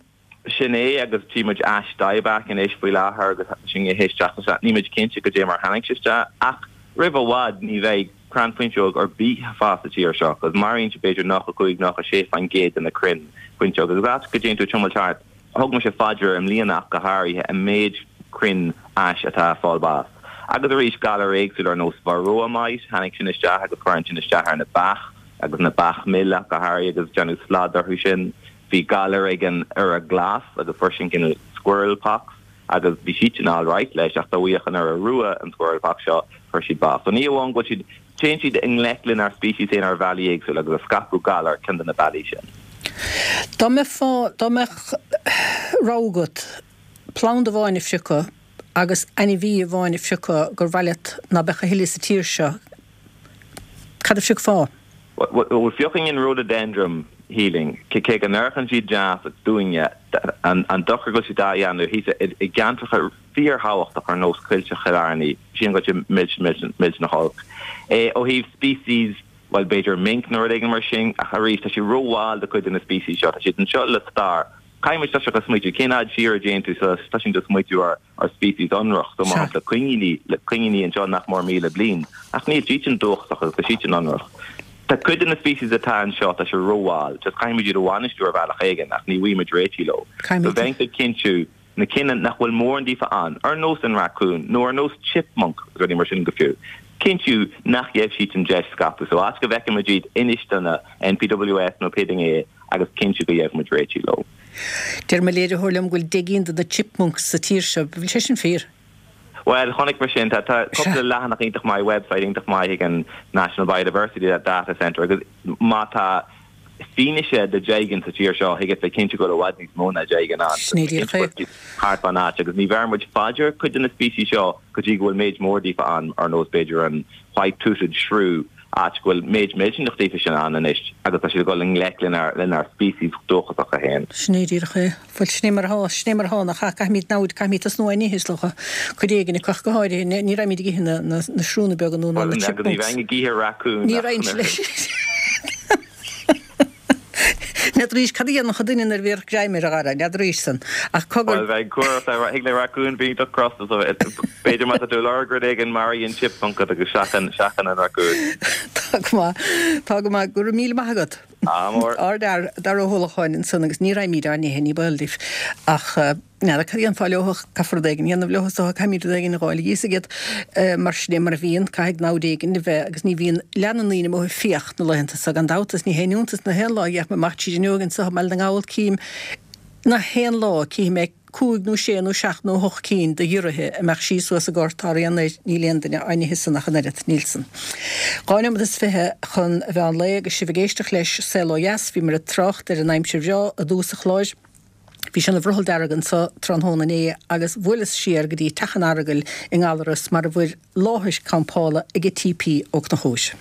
Sin é, agus tchí muid ash dieback anois faoi láthair agus sin théis teacht isteach. Níl muid cinnte goidé mar tháinig sé isteach, ach roimh i bhfad ní bheidh crann fuinseog ar bith ag fás sa tír seo, 'cause maraíonn sé b'fhéidir 95, 96% de na crainn fuinseog. Agus áit go dtéann tú ag tiomáilt thart, thug mise fá deara i mbliana ach go háirithe, an méid crainn ais atá ag fáil bás. Agus arís, galair éagsúla ar nós varroa mite, tháinig sin isteach agus cuireann sin isteach ar na beach agus na beach mil ach go háirithe agus déanadh slad orthu sin. Bhí galar ag an iora glas agus fuair sin cineál squirrel pox agus bhí siadsan alright leis ach dá bhfaigheadh an iora rua an squirrel pox seo fuair siad bás. So ní amháin go bhfuil siad, téann siad i ngleic lenár species féin ar bhealaí éagsúla agus ag scaipeadh galar ceann de na bealaí sin. Dá mbeifeá, dá mbeadh rogha agat planda amháin a phriocadh agus ainmhí amháin a phriocadh gur mhaith leat ná beadh a thuilleadh sa tír seo, Cad a phiocfá? Bhuel, phiocfainn an rhododendron, shílfinn, cé go n-amharcann siad deas dúinne, an dochar go bhfuil siad á dhéanamh thíos i gceantracha fíorthábhachtach ar nós Coillte Chill Airne, sílim go bhfuil sé millteanach, millteanach olc. Ó thaobh species, bhuel, b'fhéidir mink nó rud éigin mar sin, ach arís, tá sé rómhall do chuid de na species seo, tá siad anseo le stair. Caithfidh muid toiseacht ag smaoitiú, cén fhad siar a dtéann tú sula dtosaíonn tú ag smaoitiú ar ar species ionrach, so mar shampla coiníní, le coiníní anseo nach mór 1,000 bliain, ach níl siad sin dúchasach agus tá siad sin ionrach. Tá cuid de na species atá anseo, tá sé rómhall, just caithfimid iad a bhainistiú ar bhealach éigin ach ní bhfaighimid réitigh leo. So bheinnse ag cinntiú na cinn nach bhfuil mórán díofa ann, ar nós an racún nó ar nós chipmunk agus rudaí mar sin go fiú, cinntiú nach gheibh siad an deis scaipeadh. So áit go bhfeicimid iad, inis do na NPWS nó pé duine é agus cinntiú go gheibhimid réitigh leo. Deir mo léiritheoir liom go bhfuil 10 gcinn de na chipmunks sa tír seo. Bhfuil sé sin fíor? Bhuel, chonaic mé sin. Tá cúpla leathanach iontach maith, website iontach maith ag an National Biodiversity Data Centre agus má tá fianaise de 10 gcinn sa tír seo, thig leat bheith cinnte go bhfuil i bhfad níos mó ná 10 gcinn ann. Sin é díreach é. Thart fán áit agus ní bheir muid fá dear cuid de na species seo go dtí go bhfuil méid mór díofa ann, ar nós b'fhéidir an white-toothed shrew, áit go bhfuil méid millteanach díofa sin ann anois agus tá siad ag dul i ngleic lenár species dúchasacha féin. Sin é díreach é. Bhuel, sin é mar atá, sin é mar atá, nach ea? Caithfimid namhaid, caithfimid tosnú á n-ithe, is dócha. Cuid éigin acu ach go háirithe. Ní raghaimid ag ithe na, na, na sriúnna beaga nó na, na Bhuel, agus ní chipmunks. bheinn ag ithe racún Ní ach raghainn leis. N'fheadaraís cad a dhéanfadh duine nuair a bhéarfadh greim air, a Dhara, n'fheadaraís san. Ach cogar. Bhuel, bheinn cuarach le, thig le racún bheith iontach crosta, so b'fhéidir má tá tú ag lorg rud éigin, maraigh an chipmunk agus seachain, seachain an racún. Tá go maith, tá go maith. Go raibh míle maith agat. Ádh mór. Ár bhfear, Dara Ó hUallacháin ansan agus ní raghaimid á n-ithe, ní baol daoibh. Ach n'fheadar cad a dhéanfá leo, caithfear rud éigin a dhéanamh leo is dócha, caithfimid rud éigin a dh'fháil a dh'íosfaidh iad. Mar sin é mar a bhíonn, caithfidh namhaid éigin a bheith agus ní bhíonn, leanann daoine amuigh ag fiach na laethanta so gan dabht agus ní haon iontas na haon lá a d'fhéach mé amach tríd an fhuinneog anso i mBaile na nGall cím na haon lá cífidh mé cúig nó sé nó seacht nó hocht cinn de ghiorraithe a mbeadh síos suas i ngort thar aon uair, níl aon duine á n-ithe san ach an oiread, níl san. 2 nóiméad is 20 chun a mheán lae agus sibh ag éisteacht leis Saol Ó Dheas, bhíomar ag trácht ar an aimsir bhreá i dtús an chláir. Bhí sé ina bhrothall dearg anso tráthnóna inné agus bhuaileas siar go dtí Teach an Earagail i nGallaras mar a bhfuil láthair campála ag T.P. Ó Conchúir.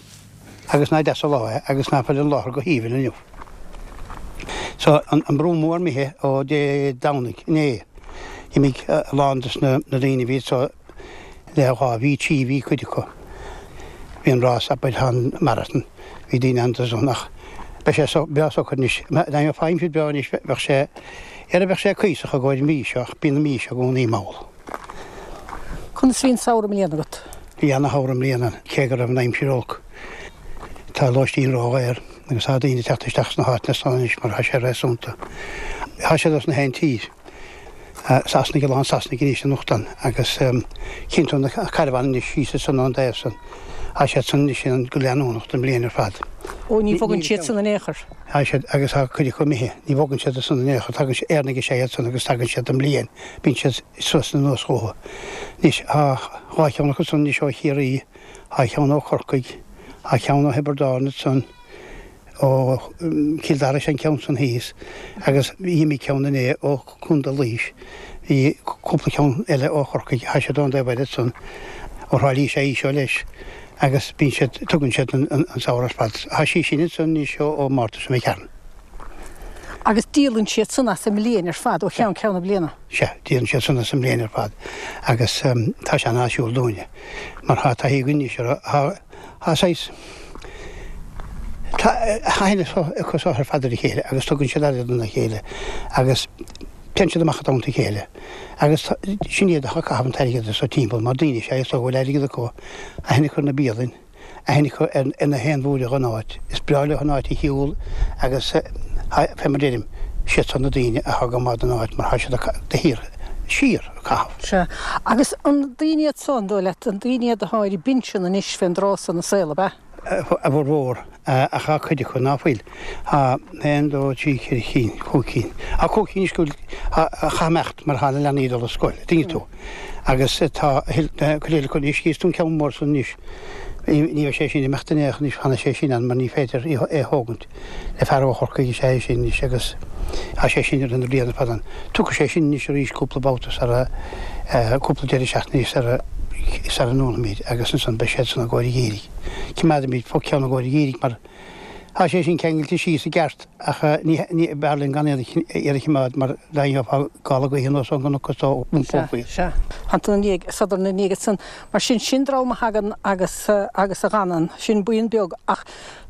Agus nach deas an lá é agus nach bhfuil an láthair go haoibhinn inniu. So, an brú mór imithe ó Dé Domhnaigh, inné. D'imigh a lán des na daoine a bhí anso le dhá mhí, trí mhí cuid acu. Bhí an rás, abair, tá an marathon, bhí daoine ann do san ach beidh sé so, breá socair anois. Dá mbeadh aimsir breá anois bheadh sé, ar bheadh sé cuíosach i gcomhair an mhí seo ach bíonn an mhí seo i gcónaí mall. Conas a bhí an samhradh i mbliana agat? Bhí ana-shamhradh i mbliana, cé go raibh an aimsir olc. Tá lóistín ródhaor agus tá daoine ag teacht isteach sna háiteanna san anois mar tá sé réasúnta. Tá siad as na haon tír. Sasanaigh, a lán Sasanaigh anois anocht ann agus chíonn tú na carbháin anois síos ansan ón dtaobh san. Tá siad san anois ann go leanúnach don bhliain ar fad. Ó, ní bhogann siad san in aon chor. Tá siad, agus tá cuid acu imithe, ní bhogann siad ansan in aon chor, tagann siad, Éireannaigh is ea iad san agus tagann siad don mbliain, bíonn siad suas anuas chucu. Anois, tá dhá cheann acu san anois ó Chiarraí, tá ceann ó Chorcaigh, tá ceann ó Thiobraid Árann ansan, ó Chill Dara is ea an ceann san thíos agus d'imigh ceann inné ó Chontae Laois. Bhí cúpla ceann eile ó Chorcaigh, tá siad ón dtaobh eile ansan, ó Thrá Lí is ea í seo leis agus bíonn siad, tugann siad an samhradh ar fad. Tá sí sin ansan anois ó Márta seo imigh tharainn. Agus díolann siad san as an mbliain ar fad, ó cheann ceann na bliana? Sea, díolann siad san as an mbliain ar fad agus tá sé an-áisiúil dúinne mar tá taithí againn anois orthu. Tá. Tá saghas, tá aithne acu seo ar fad ar a chéile agus tugann siad aire dona chéile agus téann siad amach i dteannta a chéile agus sin iad atá ag caitheamh an t-airgead so timpeall mar daoine is ea is dóigh go bhfuil airgead acu, aithne acu ar na bialainn, aithne acu ar na haon bhuaile dhon áit, is breá leo an áit a shiúl agus fé mar deirim, siad san na daoine atá go maith don áit mar tá siad de shíor, síor ag caitheamh. Sea. Agus an daoine iad so, an dóigh leat, an daoine iad atá ar a bpinsean anois fén dtráth so 'na saol, ab ea? A bhformhór, ach tá cuid acu ná fuil. Tá aon, dó, trí, ceithre chinn, cúig cinn. Tá cúig cinn anois go bhfuil, a chaith imeacht mar tá na leanaí ag dul ar scoil, an dtuigeann tú. Agus tá cuid eile acu anois, chíos tú an ceann mór san anois, ní bheidh sé sin ag imeacht in aon chor anois, fanfaidh sé sin ann mar ní féidir é a thógaint. Le fear ó Chorcaigh is ea é sin anois agus tá sé sin i rith na bliana ar fad ann. Tiocfaidh sé sin anois arís cúpla babhta sara, cúpla deireadh seachtaine sara, sara ndúnfaimid agus ansan beidh siad san i gcomhair an gheimhridh. Coimeádfaimid ceann i gcomhair an gheimhridh mar tá sé sin ceangailte síos i gceart ach ní, ní, b'fhearr linn gan iad a choimeád mar dá ngeofá gála gaoithe anuas ón gcnoc is d'iompófaí iad. Sea, sea. Tá tú ina ndiaidh, sodar ina ndiaidh ansan. Mar sin, sin dream a thagann agus, agus a dh'fhanann. Sin buíon beag ach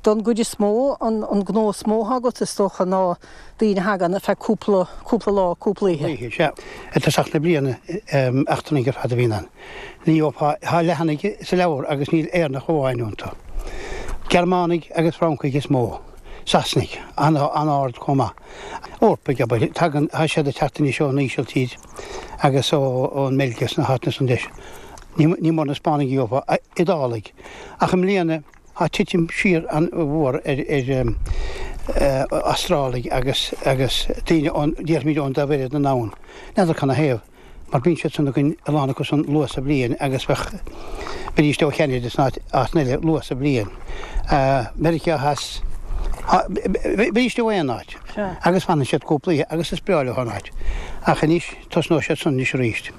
Don gcuid is mó, an gnó is mó atá agat, is dócha, ná daoine a thagann ar feadh cúpla, cúpla lá, cúpla oíche. Oíche, sea. I dtosach na bliana, eachtrannaigh ar fad a bhíonn ann. Ní gheofá, tá leathanaigh sa leabhar agus níl Éireannach amháin iontu. Gearmánaigh agus Francaigh is mó, Sasanaigh an-ard chomh maith. Eorpaigh, abair, tagann, tá siad ag teacht anois ón Ísiltír agus ón mBeilg agus na háiteanna san deis. Ní mór na Spáinnigh a gheofá, Iodálaigh. Ach i mbliana tá titim siar an-mhór ar Astrálaigh agus agus daoine ón, déarfaimid ón dtaobh eile den domhan. N'fheadar canathaobh. mar bíonn siad san againn a lán acu san luath sa bhliain agus bheadh, bheidís ó Cheanada is áiteanna eile luath sa bhliain. Meiriceá Theas, bheidís ó aon áit agus fanann siad cúpla oíche agus is breá leo an áit. Ach anois, tosnóidh siad san anois arís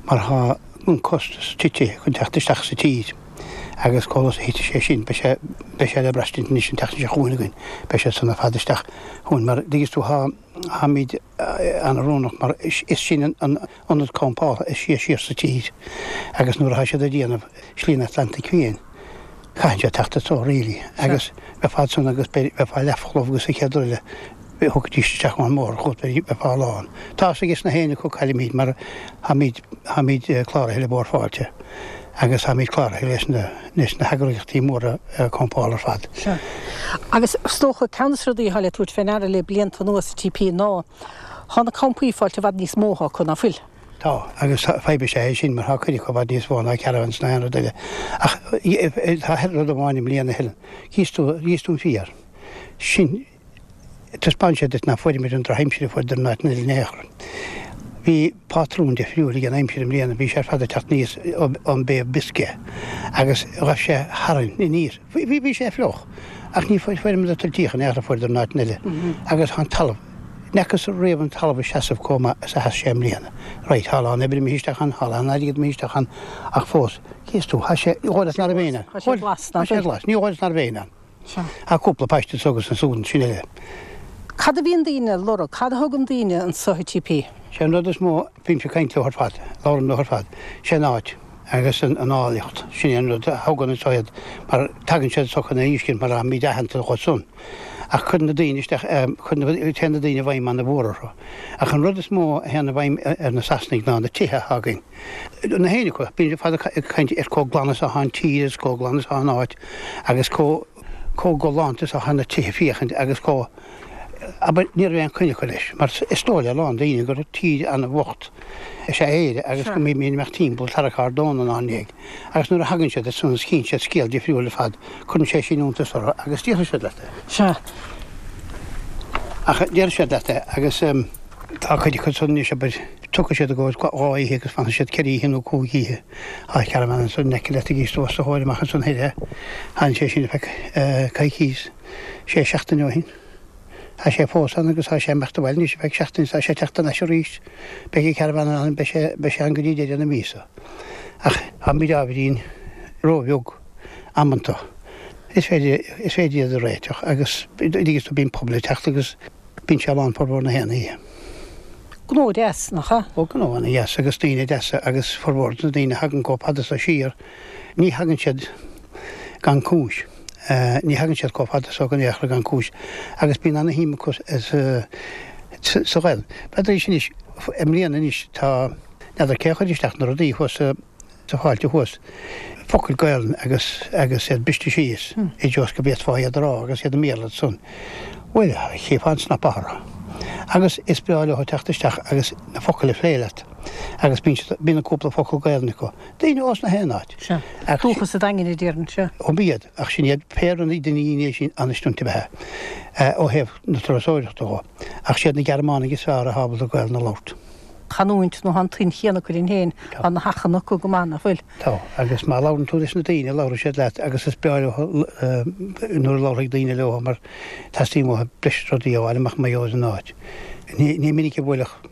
mar tá an costas tite chun teacht isteach sa tír agus chomh luath is a thitfidh sé sin beidh sé, beidh sé le braistint anois an tseachtain seo chugainn againn, beidh siad san ar fad isteach chugainn mar, dtuigeann tú, tá, táimid an-oiriúnach mar is sinn an ionad campála is sia siar sa tír agus nuair atá siad ag déanamh Slí an Atlantaigh Fiáin caitheann siad teacht anseo really agus bheifeá ansan agus bheifeá leathfholamh agus an chéad rud eile thiocfaidís isteach ón mbóthar chugat bheifeá lán. Tá fhios ages na héinne acu caillimid mar táimid táimid cláraithe le Bord Fáilte agus táimid cláraithe leis na leis na heagraíochtaí móra campála ar fad. Sea. Agus is dócha, ceann de na rudaí atá le tabhairt fé ndeara le blianta anuas sa TP ná tá na campaí ag fáilt i bhfad níos mó acu, ná fuil? Tá, agus fadhb is ea é sin mar tá cuid acu i bhfad níos mó ná caravans ná aon rud eile. Ach tá rud amháin i mbliana, Helen, chíos tú, chíos tú an féar sin, Taispeánann sé duit nach bhfuaireamar an drochaimsir a fuaireadar in áiteanna eile in aon chor. Bhí pátrún difriúil ag an aimsir i mbliana, bhí sé ar fad ag teacht aníos ón Bay of Biscay agus ghabh sé tharainn aníos. Bhí, bhí sé fliuch ach ní fuaireamar na tuiltíocha in aon chor a fuaireadar in áiteanna eile agus tá an talamh, n'fhacthas riamh an talamh ag seasamh chomh maith is a sheas sé i mbliana. Right, tá a lán oibre imithe isteach ann, tá a lán airgead imithe isteach ann ach fós, cíos tú, tá sé, ní dhóigh leat ná raibh éinne ann. Tá sé glas, tá sé glas, ní dhóigh leat ná raibh éinne ann. Sea. Tá cúpla páiste anso agus ansúd ansin eile. Cad a bhíonn daoine ag lorg? Cad a thugann daoine anso chuig TP? Sé an rud is mó, bímse ag caint leo ar fad, labhraím leo ar fad, sé an áit agus an áilleacht, sin é an rud a thugann anso iad mar tagann siad anso chun é a fheiscint mar táimid aitheanta dhóibh san. Ach cuireann na daoine isteach, cuireann, téann na daoine i bhfeidhm ana-mhór orthu. Ach an rud is mó a théann i bhfeidhm ar na Sasanaigh ná na tithe atá againn. Na héinne acu, bíonn siad fad ag caint ar chomh glan is atá an tír agus chomh glan is atá an áit agus chomh chomh galánta is atá na tithe féachaint agus chomh, abair, ní raibh aon choinne acu leis mar is dóigh le a lán daoine gur tír an-bhocht is ea Éire agus go mbímid ag imeacht timpeall ag tarrac ár dtóna inár ndiaidh agus nuair a thagann siad ansan is chíonn siad scéal difriúil ar fad, cuireann sé sin iontas orthu agus déarfaidh siad leat é. Sea. Ach déarfaidh siad leat é agus tá cuid acu san anois, abair, Tiocfaidh siad i gcomhair dhá oíche agus fanfaidh siad ceithre oíche nó cúig oíche. Tá caravan ansan in aice leat ag os do chomhair amach ansan thoir. Tháinig sé sin feadh coicís, sé seachtaine ó shin. Tá sé fós ann agus tá sé imeacht abhaile anois feadh seachtaine is tá sé ag teacht thar n-ais arís. Beidh an caravan ann, beidh sé, beidh sé ann go dtí deireadh na míosa. Ach táimid ábhairín róbheag amanta. Is féidir, is féidir iad a réiteach agus, dtuigeann tú, bíonn pobal ag teacht agus bíonn sé lán formhór na haon oíche. Gnó deas, nach ea? Ó, gnó ana dheas agus daoine deasa agus formhór de na daoine a thagann chomh fada so siar, ní thagann siad gan cúis. Ní thagann siad chomh fada so in aon chor gan cúis agus bíonn ana shuim acu sa Ghaelainn. B'fhéidir anois, i mbliana anois tá, n'fheadar cé a chuir isteach na rudaí thuas sa, sa Fáilte thuas, focail Gaelainn agus agus iad briste síos i dtreo go bhféadfá iad a rá agus iad i mBéarla ansan. Bhuel, chífeá an cnaipe orthu. Agus is breá leo teacht isteach agus na focail a phlé leat agus bíonn siad, bíonn an cúpla focal Gaelainn acu. Daoine ós na haon áit. Sea. Dúchas an Daingin a déarfainn, sea. Ó b'iad, ach sin iad péire na daoine sin an-stunta ab ea ó thaobh na turasóireachta dhó. Ach siad na Gearmánaigh is fearr atá ábalta Gaelainn a labhairt. chanúint nó tá an tuin chéanna acu linn féin, tá na hachan acu go maith, nach bhfuil? Tá, agus má labhrann tú leis na daoine, labhróidh siad leat agus is breá leo nuair a labhróidh daoine leo mar teastaíonn uathu breis rudaí a fháil amach mar gheall ar an áit. Ní minic a bhuailfeadh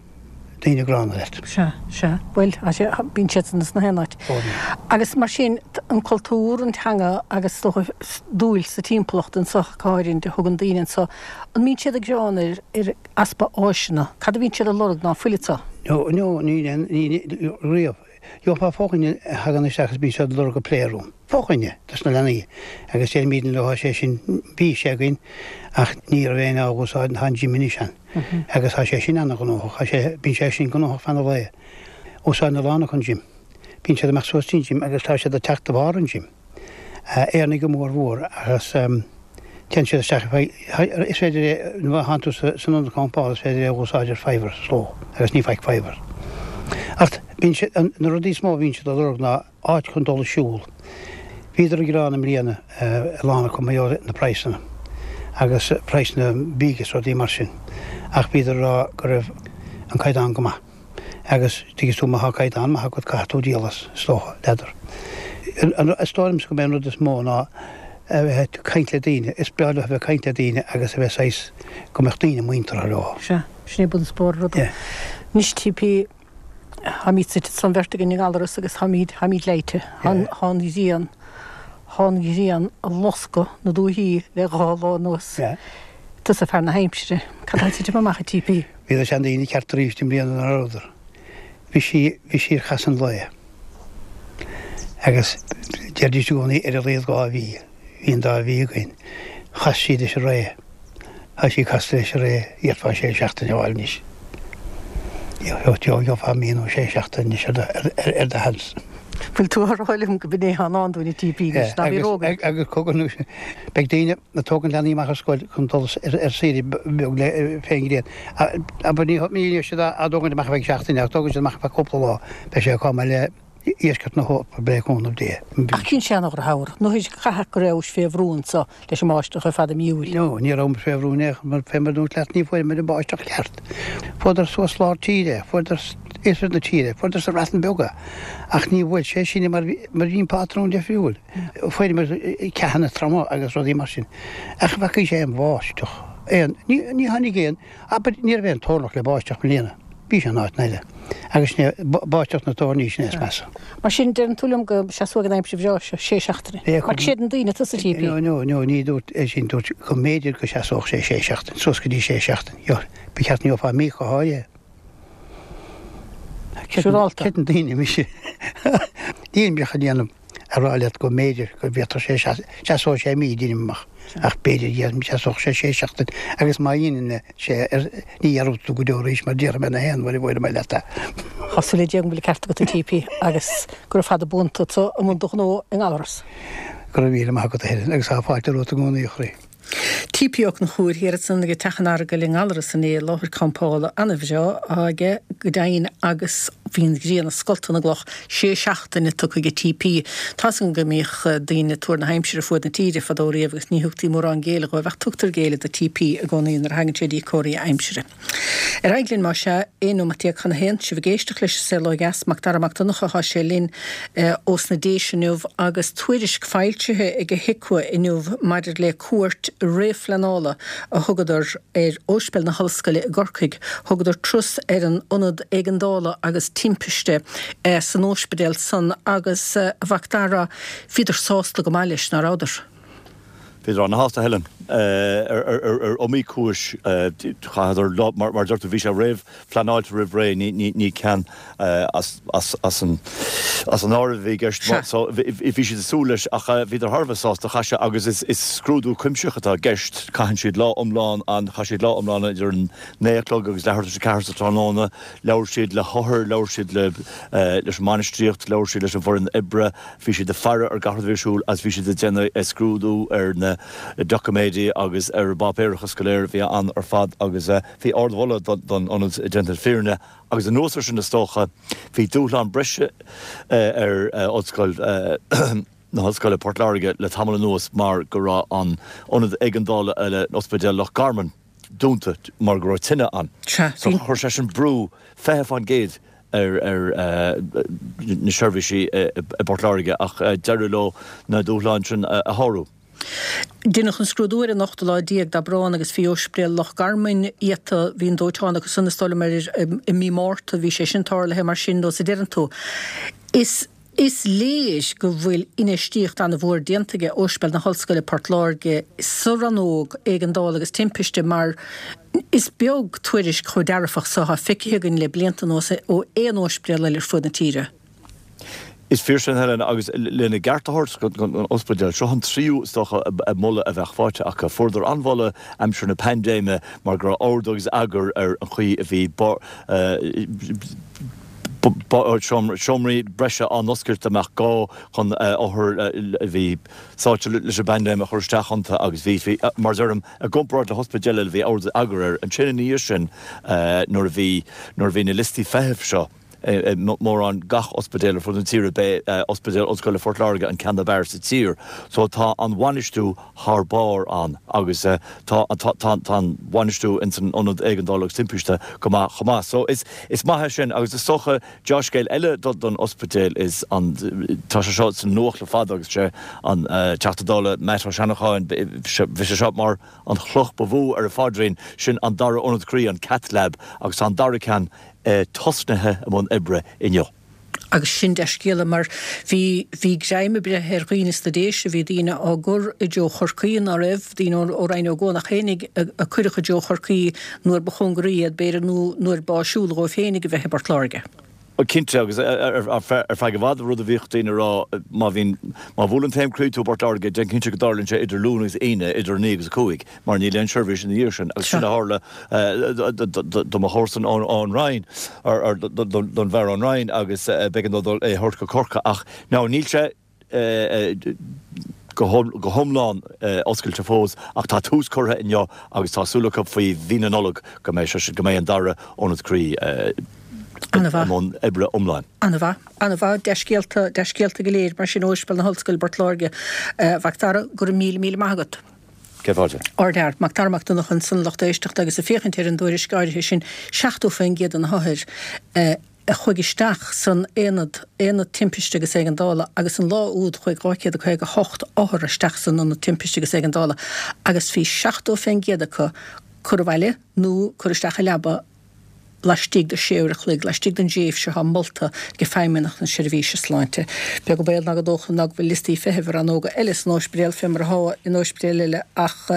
daoine gránna leat. Sea, sea. Bhuel, tá sé, bíonn siad san sna haon áit. Agus mar sin, an cultúr, an teanga agus is dócha dúil sa timpeallacht anseo go háirithe a thugann daoine anseo, an mbíonn siad ag gearán ar, ar, easpa áiseanna. Cad a bhíonn siad ag lorg ná fuil anseo? No, no, níl aon, níl, riamh. Gheofá fo-dhuine a thagann isteach is bíonn siad ag lorg a playroom. Fo-dhuine dos na leanaí. Agus deirimidne leo, tá sé sin, bhí sé againn ach ní raibh éinne á úsáid, tá an gym anois ann. Agus tá sé sin ana-ghnóthach, tá sé, bíonn sé sin gnóthach feadh an lae. Úsáideann a lán acu an gym. Bíonn siad ag imeacht suas dtí an gym agus tá siad ag teacht de bharr an gym. Éireannaigh go mór mhór agus téann siad isteach ar feadh, is féidir é, nuair a thánn tú san ionad campála is féidir é a úsáid ar faobhar is dóigh agus ní faic faobhar. Ach bíonn siad, na rudaí is mó a bhíonn siad a lorg ná áit chun dul ag siúl. Bhíodar ag gearán i mbliana, a lán acu, mar gheall ar na praghsanna agus praghsanna bídh is rudaí mar sin ach bhíodar ag rá go raibh an caighdeán go maith. Agus tuigeann tú má thá caighdeán maith agat caithfidh tú díol as, is dócha, n'fheadar. Is dóigh liomsa go mb'é an rud is mó ná a bheith ag caint le daoine, is breá leo a bheith ag caint le daoine agus a bheith saghas, go mbeadh daoine muinteartha leo. Sea, sin é bunchuspóir an ruda. Anois TP, táimid suite anso an bheirt againn i nGallaras agus táimid, táimid leáite. Tá an ghrian, tá an ghrian ag loscadh na dúichí le dhá lá anuas. Tusa fear na haimsire, cad tá ag titim amach a TP? Bhí na seandaoine ceart arís i mbliana ná rabhadar. Bhí sí, bhí sí ar chasadh an lae. Agus deiridís i gcónaí ar a laghad 2 mhí. Bhí an dá mhí againn. Chas sí leis an ré. Tá sí casta leis an ré, d'fhéadfá sé seachtaine a fháil anois. Gheofá mí nó sé seachtaine anois ar do, ar, ar do sheans. Bhfuil tú á rá liom go b'in é atá i ndán dúinn a TP anois, ná bí róghar. Agus cogar nó beidh daoine ag tógaint leanaí amach as scoil chun dul ar saoire beag le fén ngrian. Abair ní ní siad á dtógaint amach ar feadh seachtaine ach tógann siad amach ar feadh cúpla lá. Beidh sé chomh maith le dheisceart na hEorpa le cúnamh Dé. Ach chinn sé an drochthamhradh. Nó chaithfeadh go rabhais fé bhrú anso leis an mbáisteach ar fad i mí Iúil. No, ní rabhamar fé bhrú in aon chor mar fé mar dúirt leat ní fuaireamar an báisteach ceart. Fuaireadar suas lár tíre, fuaireadar iarthar na tíre, fuaireadar sa Bhreatain Bheag é. Ach ní bhuail sé sinne mar mar bhí an pátrún difriúil. Fuaireamar ceathanna troma agus rudaí mar sin. Ach bhfacaís aon bháisteach, aon, ní, ní tháinig aon, abair, ní raibh aon toirneach le báisteach i mbliana. Bhí sé in áiteanna eile. Agus sin é, báisteach na toirní, sin é is measa. Mar sin, deireann tú liom go seasóidh an aimsir bhreá seo sé seachtaine. Mar creideann daoine tusa, TP. No, no, no, ní dúirt é sin, dúirt go mb'fhéidir go seasódh sé sé seachtain, suas go dtí sé seachtain. Ba cheart go ngeofá mí go háirithe. Siúrálta. Creideann daoine mise. Níl mise chun déanamh a rá leat go mb'fhéidir go bhféadfadh sé seasóidh sé mí deinim amach ach b'fhéidir go seasódh sé sé seachtain agus má dhéanann sé ní dhearbhóidh tú go deo arís mar déarfaidh mé na haon uair a bhfuair mé leat é. Tá súil le Dia go bhfuil an ceart agat a TP agus go raibh fada buan tusa i mbun do ghnó i nGallaras. Go raibh míle maith agat a Helen agus tá fáilte romhat i gcónaí a chroí. TP Ó Conchúir thiar ansan ag Teach an Earagail i nGallaras inné, láthair campála ana-bhreá atá aige go deimhin agus bhí an ghrian ag scoltadh na gcloch sé seachtaine tugtha ag TP. Tá's agam go mbíodh daoine ag tuar na haimsire fuaid na tíre fadó riamh agus ní thugtaí mórán géilleadh dhóibh ach tugtar géilleadh do TP i gcónaí nuair a thagann sé dtí comharthaí aimsire. Ar aghaidh linn, más ea, 11 nóimeat chun a haon, sibh ag éisteacht leis an Saol Ó Dheas, Mac Dara Mac Donncha atá sé linn ós na Déise inniu agus tuairisc foilsithe ag HIQA inniu maidir le cuairt réamhphleanála a thugadar ar Ospidéal na hOllscoile i gCorcaigh. Thugadar turas ar an ionad éigeandála agus timpiste san ospidéal san agus, a Mhac Dara, bhíodar sásta go maith leis, ná rabhadar? Bhíodar ana-shásta, Helen. Ar iomaí cúis. Chaitheadar lá, mar a deir tú, bhí sé réamhphleanáilte roimh ré, ní ceann as an áireamh a bhí i gceist. So bhí siad ag súil leis ach bhíodar thar a bheith sásta. Chaith sé, agus is scrúdú cuimsitheach atá i gceist, caitheann siad lá iomlán ann, chaith siad lá iomlán idir an naoi a chlog agus leathuair tar éis a ceathair sa tráthnóna, labhair siad le hothair, labhair siad leis an mbainistíocht, labhair siad leis an bhfoireann oibre, Bhí siad ag faire ar gach rud a bhí ar siúl agus bhí siad ag déanamh scrúdú ar na doiciméidí agus ar an bpáipéarachas go léir a bhí ann ar fad agus bhí ardmholadh don ionad déanta le fírinne agus anuas ar sin is dócha bhí dúshlán breise ar Ollscoil na hOllscoile Port Láirge le tamall anuas mar go raibh an ionad éigeandála in Ospidéal Loch Garman dúnta mar go raibh tine ann. So chuir sé sin brú 20% ar na seirbhísí i bPort Láirge ach d'éirigh leo na dúshláin sin a shárú. Deineadh an scrúdú ar an ochtú lá déag d'Aibreán agus bhí Ospidéal Loch Garman iata, bhí an dóiteán acu san is dóigh liom i mí Márta, bhí sé sin tarlaithe mar sin nós a deireann tú. Is. Is léir go bhfuil infheistíocht an-mhór déanta aige Ospidéal na hOllscoile Port Láirge sa rannóg éigeandála agus timpiste mar is beag tuairisc chomh dearfach so atá feicthe againn le blianta anuas ó aon ospidéal eile ar fud na tíre. Is fíor sin, Helen, agus lena gceart a thabhairt don ospidéal, seo an tríú, is dócha, moladh a bheadh faighte acu. Fuaireadar an-mholadh aimsir na paindéime mar go raibh ord agus eagar ar an chaoi a bhí. Seomraí breise á n-oscailt dá mbeadh gá chun othair a bhí sáite leis an bpaindéim a chur isteach iontu agus bhí, mar a deirim, i gcomparáid le hospidéil eile, bhí ard eagar air. Ansin ina dhiaidh sin nuair a bhí, nuair a bhí na liostaí feithimh seo i mórán gach ospidéal ar fud na tíre, b'é Ospidéal Ollscoile Phort Láirge an ceann ab fhearr sa tír. So tá an bhainistiú thar barr ann agus tá tá an bhainistiú ins an Ionad Éigeandála agus Timpiste go maith chomh maith. So is is maith é sin agus is dócha deá-scéal eile do don ospidéal is an tá sé seo sa nuacht le fada agus sé an Teachta Dála Matt Ó Seanacháin bhí sé seo mar an chloch ba mhó ar a phaidrín sin an dara ionad croí an Cath Lab agus tá an dara ceann tosnaithe i mbun oibre inniu. Agus sin dea-scéala mar bhí, bhí greim ag breith ar dhaoine sna Déise, bhí daoine á gcur i dtreo Chorcaí ná raibh, daoine ó Rinn Ó gCuanach fhéinig a cuireadh i dtreo Chorcaí nuair ba chóngaraí iad b'fhéidir nó nuair b'áisiúla dhóibh féinig a bheith i bPort Láirge. Cinnte, agus ar feadh i bhfad rud a bhíodh daoine a rá, má bhíonn, má bhuaileann taom croí tú i bPort Láirge, déan cinnte go dtarlaíonn sé idir Luan agus Aoine, idir 9 agus 5. mar níl aon seirbhís ina dhiaidh sin, agus sin a tharla do mo chomharsan ón Rinn, don bhfear ón Rinn, agus b'éigean dó dul é a thabhairt go Corcaigh. Ach now níl sé go hiomlán oscailte fós, ach tá tús curtha inniu agus tá súil acu faoi mhí na Nollag go mbeidh sé, go mbeidh an dara ionad croí i mbun oibre iomláin. An-mhaith. An-mhaith. Dea-scéalta, dea-scéalta go léir mar sin ó Ospidéal na hOllscoile i bPort Láirge. A Mhac Dara, go raibh míle míle maith agat. Céad fáilte. Ardfhear. Mac Dara Mac Donncha ansan, lucht éisteachta agus ag féachaint ar an dtuairisc áirithe sin, 70% de na hothair a chuaigh isteach san aonad, aonad timpiste agus éigeandála, agus an lá úd chuaigh 258 othar isteach san ionad timpiste agus éigeandála agus bhí 70% acu curtha abhaile nó curtha isteach i leaba laistigh de sé uair a chloig, laistigh den dtréimhse atá molta ag Feidhmeannacht na Seirbhíse Sláinte. Beag an baol ná gur dócha ná go bhfuil liostaí feithimh i rannóga eile san óispidéal fé mar atá in óispidéil eile ach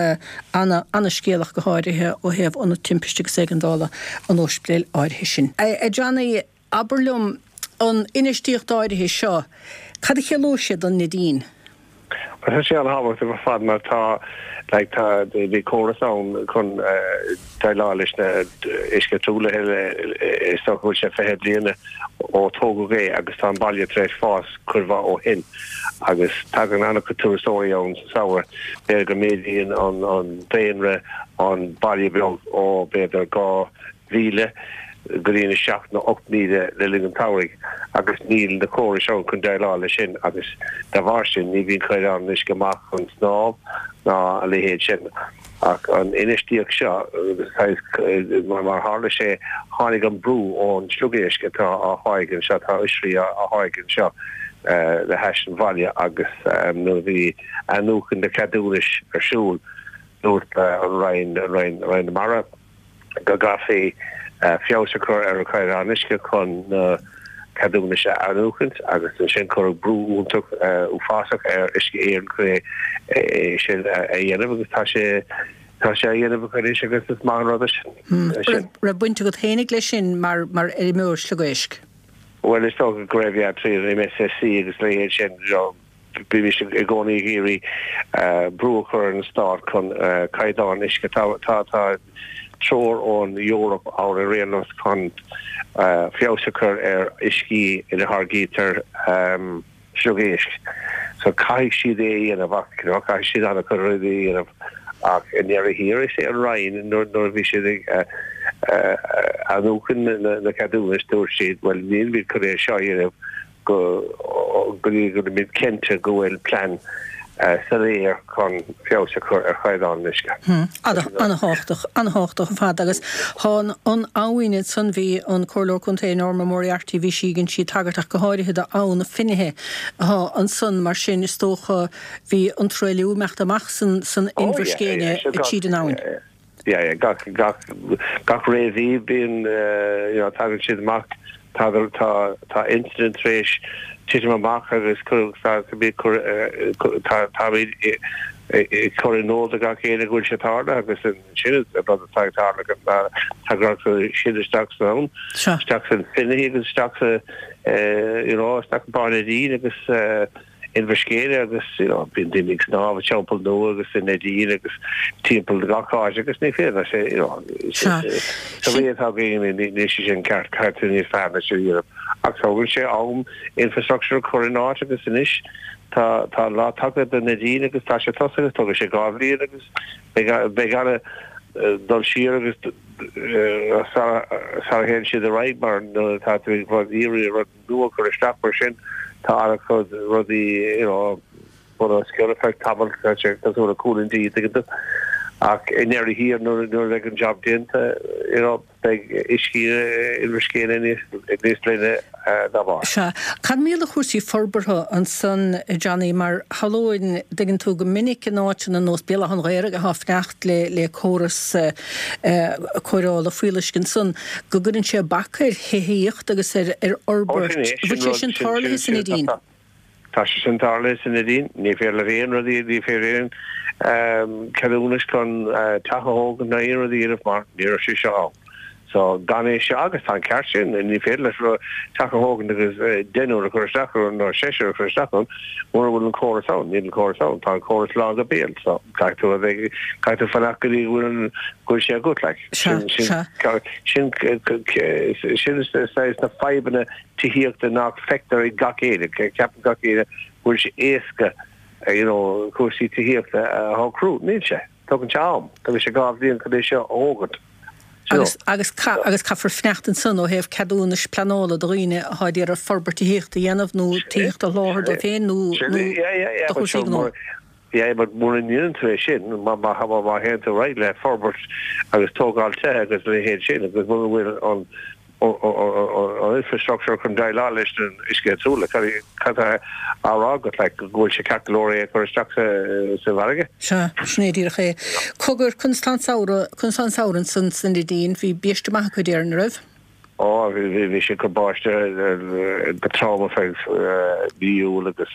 ana, ana-scéal ach go háirithe ó thaobh Ionad Timpiste agus Éigeandála an óispidéil áirithe sin. A Johnny, abair liom, an infheistíocht áirithe seo, cad a chiallóidh sé don Neidín? Tá sé an-thábhachtach ar fad mar tá like tá bhí córas ann chun déileáil leis na uisce truaillithe is dócha go bhfuil sé 20 bliana ó tógadh é agus tá an baile tar éis fás cuid mhaith ó shin agus tagann an-chuid turasóirí ann sa samhradh. B'fhéidir go méadaíonn an an daonra an baile beag ó b'fhéidir 2,000 go dtí na 7 nó 8,000 le linn an tsamhraidh agus níl na córais ann chun déileáil leis sin agus dá bharr sin ní bhíonn caighdeán an uisce maith chun snámh ná a leithéid sin. Ach an infheistíocht seo, mar tharla sé, tháinig an brú ón sliogéisc atá á tháirgeadh anseo, tá oisrí á tháirgeadh anseo le hais an bhaile agus nuair a bhí athnuachan na ceadúnais ar siúl dúirt an Roinn, Roinn na Mara, go gcaithfí feabhas a chur ar an chaighdeán uisce chun na ceadúnais a athnuachaint agus ansin cuireadh brú iontach uafásach ar Uisce Éireann chun é sin a dhéanamh agus tá sé tá sé á dhéanamh acu anois agus is maith an rud é sin. Raibh baint agat fhéinig leis sin mar mar fheirmeoir sliogéisc? Bhuel is dócha go raibh, yeah, tríd an MSSC agus a leithéid sin, you know, Bímis i gcónaí ag iarraidh brú a chur ar an stát chun caighdeán uisce. Tá treoir ón Eoraip ann ar aon nós chun feabhas a chur ar uiscí ina tháirgítear sliogéisc. So caithfidh siad é a dhéanamh ach you know caithfidh siad an-chuid rudaí a dhéanamh ach i ndeireadh thiar is é an Roinn nuair a bhí siad ag athnuachan na ceadúnais dúirt siad bhuel nílimid chun é seo a dhéanamh go dtí go mbeimid cinnte go bhfuil plean soiléir chun feabhas a chur ar chaighdeán an uisce. An-thábhachtach, an-thábhachtach ar fad agus tá an abhainn ansan, bhí an Comhairleoir Contae Norma Moriarty, bhí sí, dhein sí tagairt ach go háirithe d'Abhainn na Finithe atá ansan mar sin is dócha bhí an truailliú ag imeacht amach san san Inbhear Scéine tríd an abhainn. Yeah, yeah, gach, gach, gach ré mhí bíonn, you know, tagann siad amach, tá, tá, tá incident tar éis titim amach agus cur, tá, tá, cur, tá, táimid ag cur in iúl do gach éinne go bhfuil sé tarlaithe agus sin an rud atá ag tarlú ná tagann siad isteach san abhainn, isteach san Finaghy agus isteach sa, you know, isteach i Bá an Neidín agus, Inbhear Scéine agus you know bíonn daoine ag snámh i Teampall Nua agus i Neidín agus timpeall gach áit agus ní féidir leis you know sa ré atá againn níl sé sin ceart caithfidh tú níos fearr ná sin a dhéanamh. Ach tógann sé am infrastructure a chur in áit agus anois tá tá an lá tagtha do Neidín agus tá sé tosaithe, tógfaidh sé 2 bhliain agus beidh beidh ana dul siar agus sara sara théann siad ar aghaidh mar nuair atá tú ag iarraidh rud nua a chur isteach mar sin tá an-chuid rudaí you know bun os cionn ar feadh tamaill tá sé cosúil le cúl an tí tuigeann tú ach i ndeireadh thiar nuair nuair a bheidh an job déanta you know beidh uisce Inbhir Scéine níos níos glaine dá bharr. Sea. Cad mar gheall ar chúrsaí forbartha ansan a Johnny mar shamhlóinn dtuigeann tú go minic in áiteanna ar nós Béal Átha an Ghaorthaidh atá ag fanacht le le córas cóireála fuíolluisce ansan go gcuireann sé bac ar thithíocht agus ar ar fhorbairt. Bhfuil sé sin tarlaithe sa Neidín? Tá sé sin tarlaithe sa Neidín. Ní féidir leat aon rud, ní féidir aon ceadúnas chun teach a thógaint ná aon rud a dhéanamh mar ní raibh sé seo ann. So gan é seo, agus tá an ceart sin, ní féidir leat teach a thógaint agus deichniúr a chur isteach ann nó seisear a chur isteach ann mura bhfuil an córas ann. Níl an córas ann. Tá an córas lán go béal. So caithfidh tú a bheith, caithfidh tú fanacht go dtí go bhfuil an, go bhfuil sé agat like. Sin, sin, sin, sin saghas na fadhbanna tithíochta nach feictear ag gach éinne. Ceapann gach éinne go bhfuil sé éasca you know cúrsaí tithíochta a shocrú. Níl sé. Tógann sé am. Tógann sé 2 bhliain chun é seo a thógaint. You know. Agus, agus caithfear fanacht ansan ó thaobh ceadúnais pleanála do dhaoine atá ag iarraidh forbairt tithíochta a dhéanamh nó tithíocht a sholáthar dóibh féin nó, nó do chúrsaí gnó. Yeah, but mura ndéanann tú é sin, má théann tú ar aghaidh le forbairt agus tógáil tithe agus a leithéid sin agus mura bhfuil an an infrastructure chun déileáil leis an uisce truaillithe, cad tá á rá agat, like, go bhfuil sé ceart go leor é a chur isteach sa bhfarraige? Sea, sin é díreach é. Cogar, conas tá an samhradh, conas tá an samhradh ansan sa Neidín? Bhí biaiste maith acu, déarfainn, an raibh? Ó, bhí sé ag cur báistí go trom ar feadh mí Iúil agus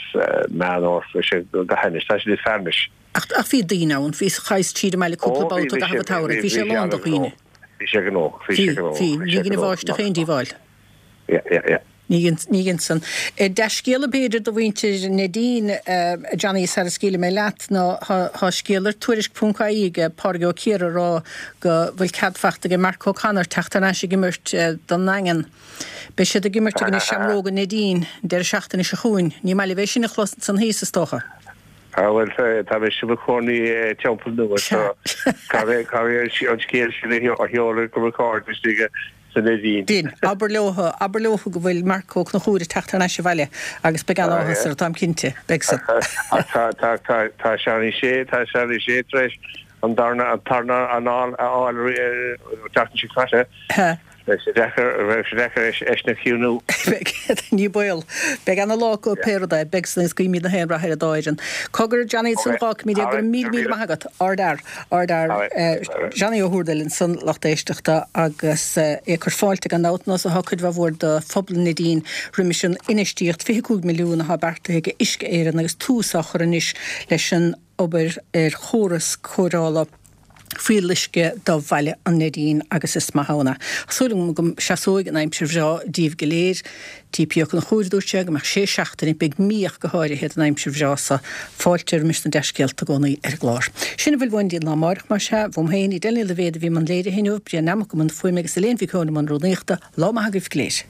Meán Fhómhair, bhí sé go hainnis. Tá sé níos fearr anois. Ach, ach bhí daoine ann, bhí, chaitheas tríd an mbaile cúpla babhta i gcaitheamh an tsamhraidh, bhí sé lán de dhaoine. Bhí sé gnóthach, bhí sé gnóthach. Bhí, bhí, ní dhein an bháisteach aon díobháil. Yeah, yeah, yeah. Ní dhein, ní dhein san. Dea-scéala b'fhéidir do mhuintir Neidín, a Johnny, sara scaoilfidh mé leat, ná tá scéal ar Tuairisc ponc ie ag Pádraig Ó Ciardha ag rá go bhfuil cead fachta aige Mark O'Connor teacht thar n-ais ag imirt don nDaingean. Beidh siad ag imirt i gcoinne Seamróga Neidín an deireadh seachtaine seo chugainn. Ní maith libh é sin a chlos ansan thíos, is dócha. Ah bhuel, tá mise i mo chónaí i dTeampall Nua so caithfidh an scéal sin a sheoladh go mo chairde istigh sa Neidín. Din. Abair leothu, abair leothu go bhfuil Marc Ó Conchúir ag teacht thar n-ais abhaile agus beidh an-áthas orthu, táim cinnte. Beidh san. Ach tá, tá, tá, tá Seánie Shea, tá Seánie Shea tar éis an darna, an tarna anáil a fháil an tseachtain seo caite. Beidh sé deacair, beidh sé deacair eisean a chiúnú. Beidh, ní baol. Beidh ana-lá acu pé rud é. Beidh san agus guímid na haon rath ar an dá fhoireann. Cogar, Johnny, ansan fágfaimid é. Go raibh míle, míle maith agat. Ardfhear. Ardfhear. Johnny Ó hÚrdail ansan, lucht éisteachta, agus é ag cur fáilte gan dabht, nós atá cuid mhaith mhór de phobal an Neidín roimis an infheistíocht 25 milliún atá beartaithe ag Uisce Éireann agus tús á chur anois leis an obair ar chóras cóireála fuíolluisce do Bhaile an Neidín agus is maith ann é. Tá súil agam go seasóidh an aimsir bhreá díbh go léir. T.P. Ó Conchúir a dúirt sé go mbeadh sé seachtaine, beidh mí ach go háirithe, den aimsir bhreá so. Fáilte roimis na dea-scéalta i gcónaí ar an gclár. Sin a bhfuil uainn go dtí an lá amáireach, más ea. Uaim féin, Edel Ní Loibhéad a bhí i mbun léirithe inniu, Brian Nammock i mbun fuaime agus Elaine Mhic Eoin i mbun rúnaíochta. Lá maith agaibh go léir.